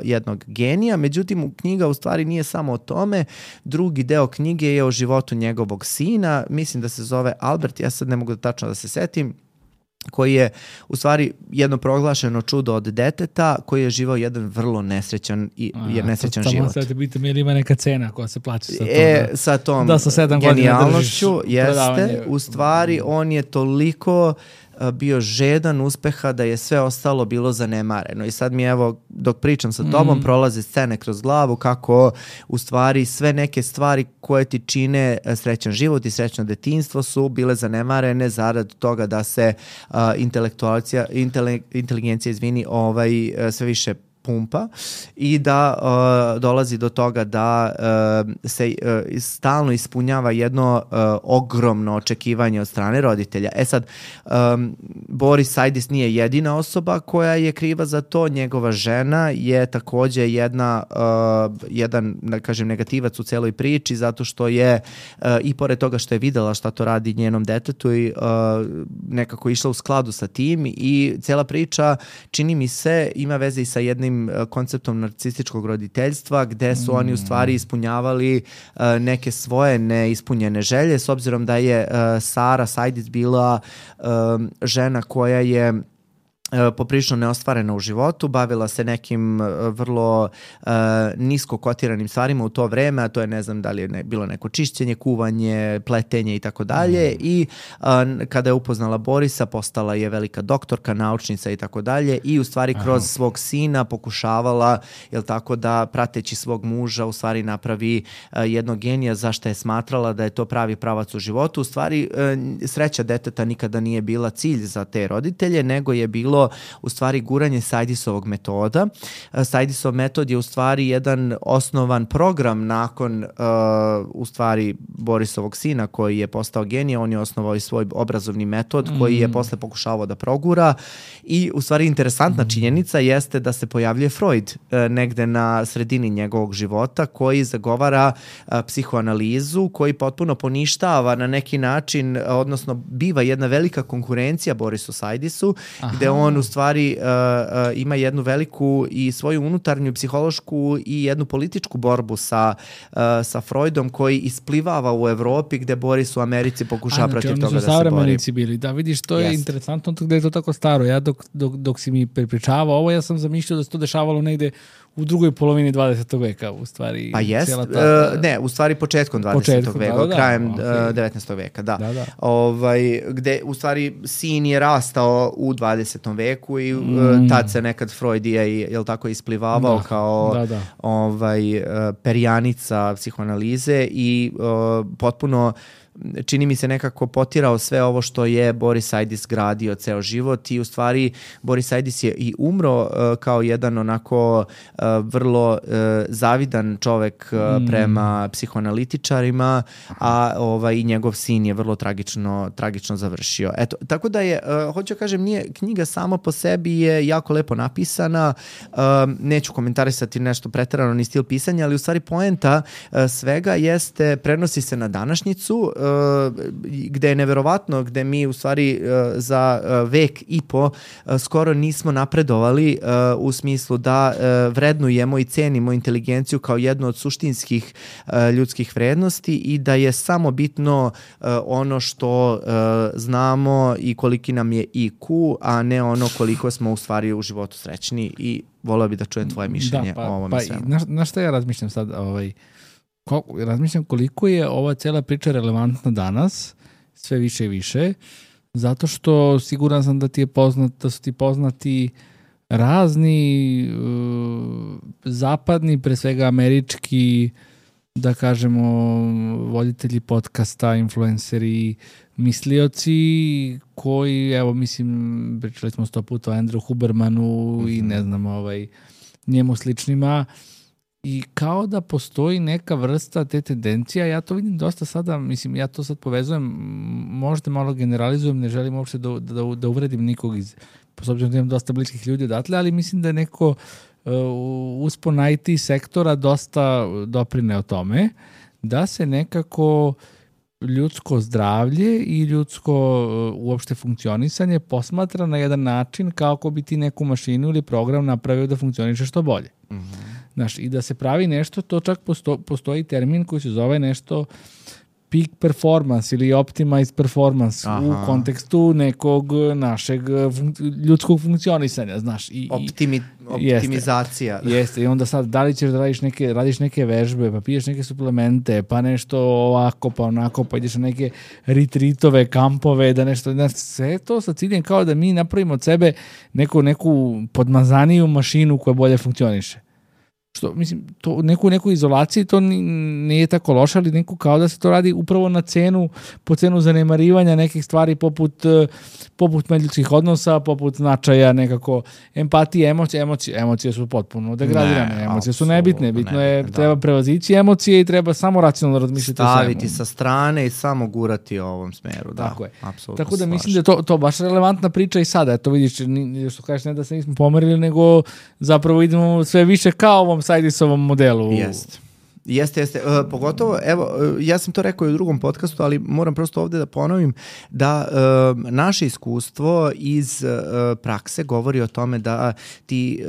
jednog genija. Međutim, knjiga u stvari nije samo o tome. Drugi deo knjige je o životu njegovog sina. Mislim da se zove Albert, ja sad ne mogu tačno da se setim. koji je u stvari jedno proglašeno čudo od deteta, koji je živao jedan vrlo nesrećan život. Sad biti mi ima neka cena koja se plaća sa tom. Sa tom da, sa 7 genijalnošću, jeste. U stvari, on je toliko bio žedan uspeha da je sve ostalo bilo zanemareno. I sad mi evo, dok pričam sa tobom, prolaze scene kroz glavu kako u stvari sve neke stvari koje ti čine srećan život i srećno detinjstvo su bile zanemarene zarad toga da se inteligencija sve više pumpa i da dolazi do toga da se stalno ispunjava jedno ogromno očekivanje od strane roditelja. E sad, Boris Saidis nije jedina osoba koja je kriva za to. Njegova žena je takođe jedan, da kažem, negativac u celoj priči, zato što je i pored toga što je videla šta to radi njenom detetu i nekako išla u skladu sa tim i cela priča, čini mi se, ima veze i sa jednim konceptom narcističkog roditeljstva, gde su oni u stvari ispunjavali neke svoje neispunjene želje, s obzirom da je Sara Saidis bila žena koja je poprilično neostvarena u životu, bavila se nekim vrlo nisko kotiranim stvarima u to vreme, a to je, ne znam da li je bilo neko čišćenje, kuvanje, pletenje i tako dalje, i kada je upoznala Borisa, postala je velika doktorka, naučnica i tako dalje, i u stvari kroz svog sina pokušavala, jel tako, da prateći svog muža u stvari napravi jednog genija zašto je smatrala da je to pravi pravac u životu. U stvari sreća deteta nikada nije bila cilj za te roditelje, nego je bilo u stvari guranje Saidisovog metoda. Saidisov metod je u stvari jedan osnovan program nakon u stvari Borisovog sina koji je postao genije. On je osnovao i svoj obrazovni metod koji je posle pokušavao da progura, i u stvari interesantna činjenica jeste da se pojavljuje Freud negde na sredini njegovog života, koji zagovara psihoanalizu, koji potpuno poništava na neki način, odnosno biva jedna velika konkurencija Borisu Saidisu, gde on u stvari ima jednu veliku i svoju unutarnju psihološku i jednu političku borbu sa Freudom, koji isplivava u Evropi, gde Boris u Americi pokušava protiv toga da se bori. Oni su savremenici bili. Da, vidiš, to je interesantno gde je to tako staro. Ja dok si mi prepričavao ovo, ja sam zamišljao da se to dešavalo negde u drugoj polovini 20. veka, u stvari. Pa jest, ne, u stvari početkom 20. veka, krajem 19. veka, da. Gde u stvari sin je rastao u 20. veku i tad se nekad Freud je, jel tako, isplivavao kao perjanica psihoanalize i potpuno, čini mi se, nekako potirao sve ovo što je Boris Saidis gradio ceo život, i u stvari Boris Saidis je i umro kao jedan onako vrlo zavidan čovek prema psihoanalitičarima, a i njegov sin je vrlo tragično završio. Eto, tako da je, hoću da kažem, knjiga sama po sebi je jako lepo napisana, neću komentarisati nešto preterano ni stil pisanja, ali u stvari poenta svega jeste, prenosi se na današnjicu, gde je neverovatno, gde mi u stvari za vek i po skoro nismo napredovali u smislu da vrednujemo i cenimo inteligenciju kao jednu od suštinskih ljudskih vrednosti, i da je samo bitno ono što znamo i koliki nam je IQ, a ne ono koliko smo u stvari u životu srećni, i voleo bi da čujem tvoje mišljenje o ovome svemu. Na šta ja razmišljam sad? Razmišljam koliko je ova cela priča relevantna danas, sve više i više, zato što siguran sam da su ti poznati razni zapadni, pre svega američki, da kažemo, voditelji podcasta, influenceri, mislioci koji, evo, mislim, pričali smo 100 puta o Andrew Hubermanu i ne znam, njemu sličnima, i kao da postoji neka vrsta te tendencija. Ja to vidim dosta sada, mislim, ja to sad povezujem, možda malo generalizujem, ne želim uopšte da uvredim nikog s obzirom da imam dosta bliskih ljudi odatle, ali mislim da je neko uspon IT sektora dosta doprine o tome, da se nekako ljudsko zdravlje i ljudsko uopšte funkcionisanje posmatra na jedan način kao ako bi ti neku mašinu ili program napravio da funkcioniše što bolje. Znaš, i da se pravi nešto, to čak postoji termin koji se zove nešto peak performance ili optimized performance u kontekstu nekog našeg ljudskog funkcionisanja, znaš. Optimizacija. Jeste, i onda sad, da li ćeš da radiš neke vežbe, pa piješ neke suplemente, pa nešto ovako, pa onako, pa ideš na neke retreatove, kampove, da nešto, sve to sa ciljem kao da mi napravimo od sebe neku podmazaniju mašinu koja bolje funkcioniše. Što, mislim, to, neku izolaciji to nije tako loše, ali neko kao da se to radi upravo na po cenu zanemarivanja nekih stvari poput međuljudskih odnosa, poput značaja nekako empatije, emocije su potpuno degradirane, emocije su nebitne, bitno je, treba prevazići emocije i treba samo racionalno razmišljati o svemu. Staviti sa strane i samo gurati u ovom smeru, da. Tako je. Tako da mislim da je to baš relevantna priča i sada, eto vidiš, što kažeš, ne da se nismo pomerili, nego zapravo idemo sve više kao ovom Saidisovom modelu. Jeste. Pogotovo, evo, ja sam to rekao i u drugom podcastu, ali moram prosto ovdje da ponovim da naše iskustvo iz prakse govori o tome da ti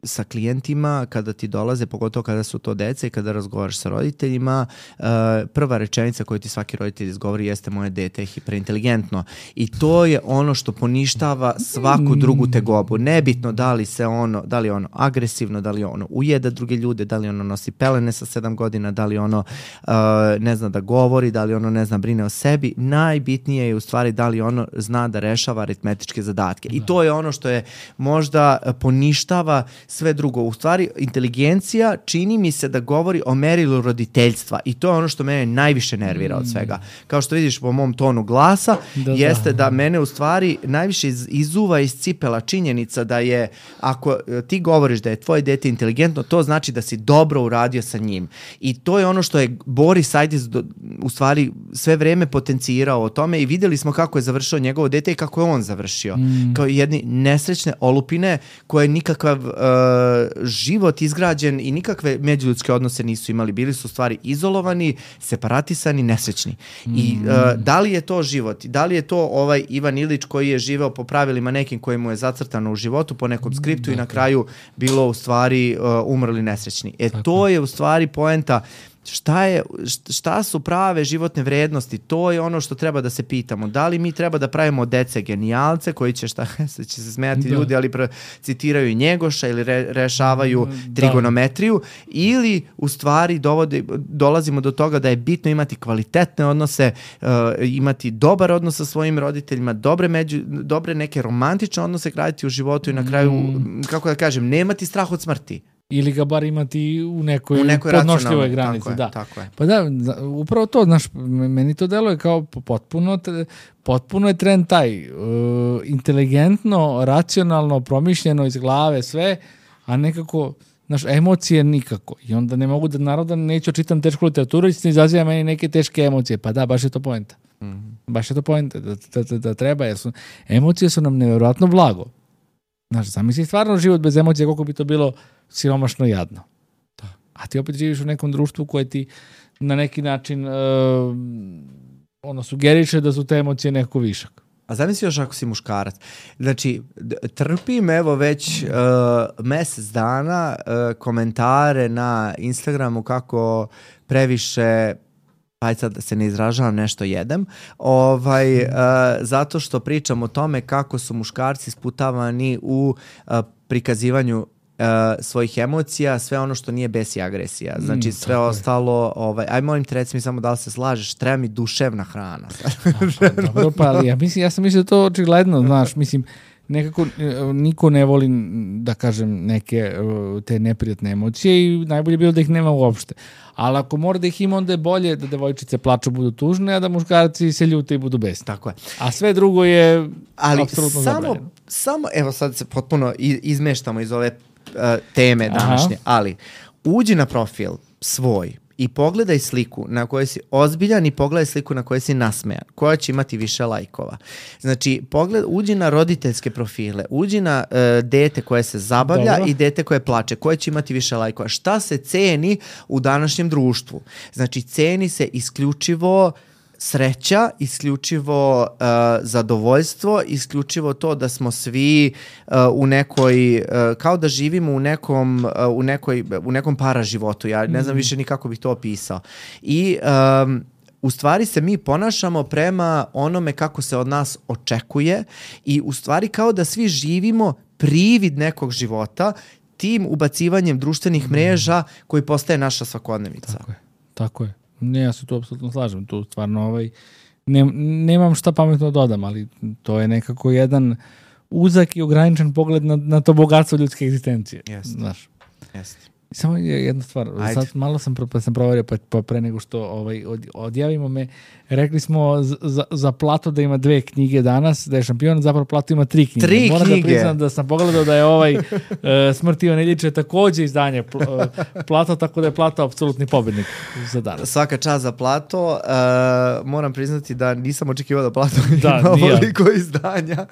sa klijentima, kada ti dolaze, pogotovo kada su to deca i kada razgovaraš sa roditeljima, prva rečenica koju ti svaki roditelj izgovori jeste moje dete je hiperinteligentno. I to je ono što poništava svaku drugu tegobu. Nebitno da li je ono agresivno, da li ono ujeda druge ljude, da li ono nosi pelene sa 7 godina, da li ono ne zna da govori, da li ono ne zna brine o sebi. Najbitnije je u stvari da li ono zna da rešava aritmetičke zadatke. I to je ono što je možda poništava sve drugo. U stvari, inteligencija čini mi se da govori o merilu roditeljstva i to je ono što mene najviše nervira od svega. Kao što vidiš po mom tonu glasa, jeste da mene u stvari najviše izuva iz cipela činjenica da je, ako ti govoriš da je tvoje dete inteligentno, to znači da si dobro uradio sa njim. I to je ono što je Boris Saidis u stvari sve vreme potencirao o tome i vidjeli smo kako je završio njegovo dete i kako je on završio. Kao jedni nesrećne olupine koje nikakav život izgrađen i nikakve međuljudske odnose nisu imali. Bili su u stvari izolovani, separatisani, nesrećni. I da li je to život? Da li je to ovaj Ivan Ilić koji je živeo po pravilima nekim koji mu je zacrtano u životu, po nekom skriptu i na kraju bilo u stvari umrli nesrećni. To je u stvari poenta. Šta su prave životne vrednosti? To je ono što treba da se pitamo. Da li mi treba da pravimo dece genijalce koji će se smijati ljudi, ali citiraju Njegoša ili rešavaju trigonometriju, ili u stvari dolazimo do toga da je bitno imati kvalitetne odnose, imati dobar odnos sa svojim roditeljima, dobre neke romantične odnose graditi u životu i na kraju, kako da kažem, nemati strah od smrti. Ili ga bar imati u nekoj podnošljivoj granici. Tako je. Pa da, upravo to, znaš, meni to deluje kao potpuno je trend taj, inteligentno, racionalno, promišljeno iz glave sve, a nekako, znaš, emocije nikako. I onda ne mogu da neću čitam tešku literaturu i se izaziva meni neke teške emocije. Pa da, baš je to poenta. Baš je to poenta da treba, jer emocije su nam nevjerojatno blago. Znaš, zamisli stvarno život bez emocija, koliko bi to bilo siromašno i jadno. A ti opet živiš u nekom društvu koje ti na neki način sugeriše da su te emocije nekako višak. A zamisli još ako si muškarac. Znači, trpim evo već mjesec dana komentare na Instagramu kako previše, ajde sad da se ne izražavam, nešto jedem, zato što pričam o tome kako su muškarci sputavani u prikazivanju svojih emocija, sve ono što nije bes i agresija. Znači sve ostalo, aj molim te, reci mi samo da li se slažeš, treba mi duševna hrana. Dobro, pa ali ja sam mislio da to očigledno, znaš, mislim, nekako niko ne voli, da kažem, neke te neprijatne emocije i najbolje je bilo da ih nema uopšte. Ali ako mora da ih ima, onda je bolje da devojčice plaču, budu tužne, a da muškarci se ljute i budu besni. Tako je. A sve drugo je apsolutno zabranjeno. Samo, evo sad se potpuno izmeštamo iz ove teme današnje, ali uđi na profil svoj i pogledaj sliku na kojoj si ozbiljan i pogledaj sliku na kojoj si nasmejan, koja će imati više lajkova. Znači, uđi na roditeljske profile, uđi na dete koje se zabavlja i dete koje plače, koje će imati više lajkova. Šta se ceni u današnjem društvu? Znači, ceni se isključivo sreća, isključivo zadovoljstvo, isključivo to da smo svi u nekoj, kao da živimo u nekom paraživotu. Ja ne znam više ni kako bih to opisao. I u stvari se mi ponašamo prema onome kako se od nas očekuje i u stvari kao da svi živimo privid nekog života tim ubacivanjem društvenih mreža koji postaje naša svakodnevica. Tako je. Ne, ja se tu apsolutno slažem. Tu stvarno nemam šta pametno dodam, ali to je nekako jedan uzak i ograničen pogled na to bogatstvo ljudske egzistencije. Znaš. Samo jedna stvar, sad malo sam proverio pa pre nego što odjavimo me, rekli smo za Plato da ima 2 knjige danas, da je šampion, zapravo Plato ima 3 knjige. 3 Moram knjige. Da priznam da sam pogledao da je Smrt Ivana Iljiča takođe izdanje Plato, tako da je Plato apsolutni pobednik za danas. Svaka čast za Plato. Moram priznati da nisam očekivao da Plato ima ovoliko izdanja,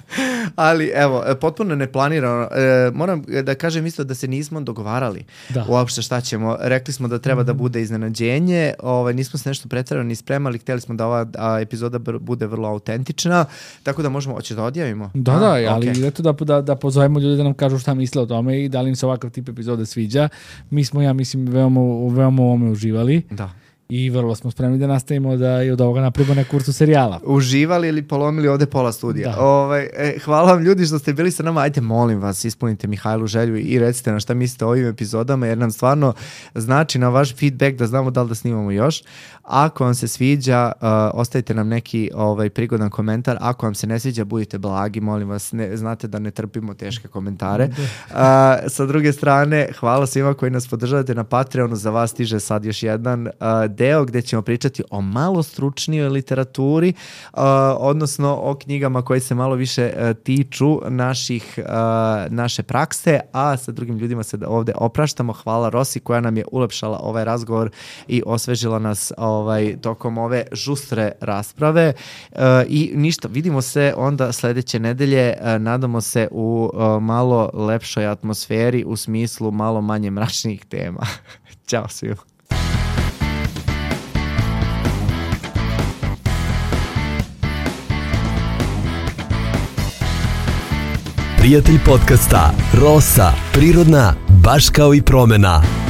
ali evo, potpuno neplanirano. Moram da kažem isto da se nismo dogovarali uopšte šta ćemo. Rekli smo da treba da bude iznenađenje, nismo se nešto preterano ni spremali, hteli smo da ova epizoda bude vrlo autentična, tako da možemo, hoće da odjavimo? Ali eto da pozovemo ljudi da nam kažu šta misle o tome i da li im se ovakav tip epizode sviđa. Mi smo, ja mislim, veoma u ovome uživali. Da. I vrlo smo spremni da nastavimo da i od ovoga napravimo neku vrstu serijala. Uživali ili polomili ovde pola studija. Hvala vam ljudi što ste bili sa nama. Ajde, molim vas, ispunite Mihajlu želju i recite nam šta mislite o ovim epizodama, jer nam stvarno znači na vaš feedback da znamo da li da snimamo još. Ako vam se sviđa, ostavite nam neki prigodan komentar. Ako vam se ne sviđa, budite blagi, molim vas. Znate da ne trpimo teške komentare. Sa druge strane, hvala svima koji nas podržavate na Patreonu. Za vas stiže sad još jedan deo gde ćemo pričati o malo stručnijoj literaturi, odnosno o knjigama koje se malo više tiču naše prakse, a sa drugim ljudima se ovde opraštamo. Hvala Rosi koja nam je ulepšala ovaj razgovor i osvežila nas tokom ove žustre rasprave. I ništa, vidimo se onda sledeće nedelje, nadamo se u malo lepšoj atmosferi, u smislu malo manje mračnih tema. Ćao svima. Prijatelj podcasta Rosa, prirodna, baš kao i promena.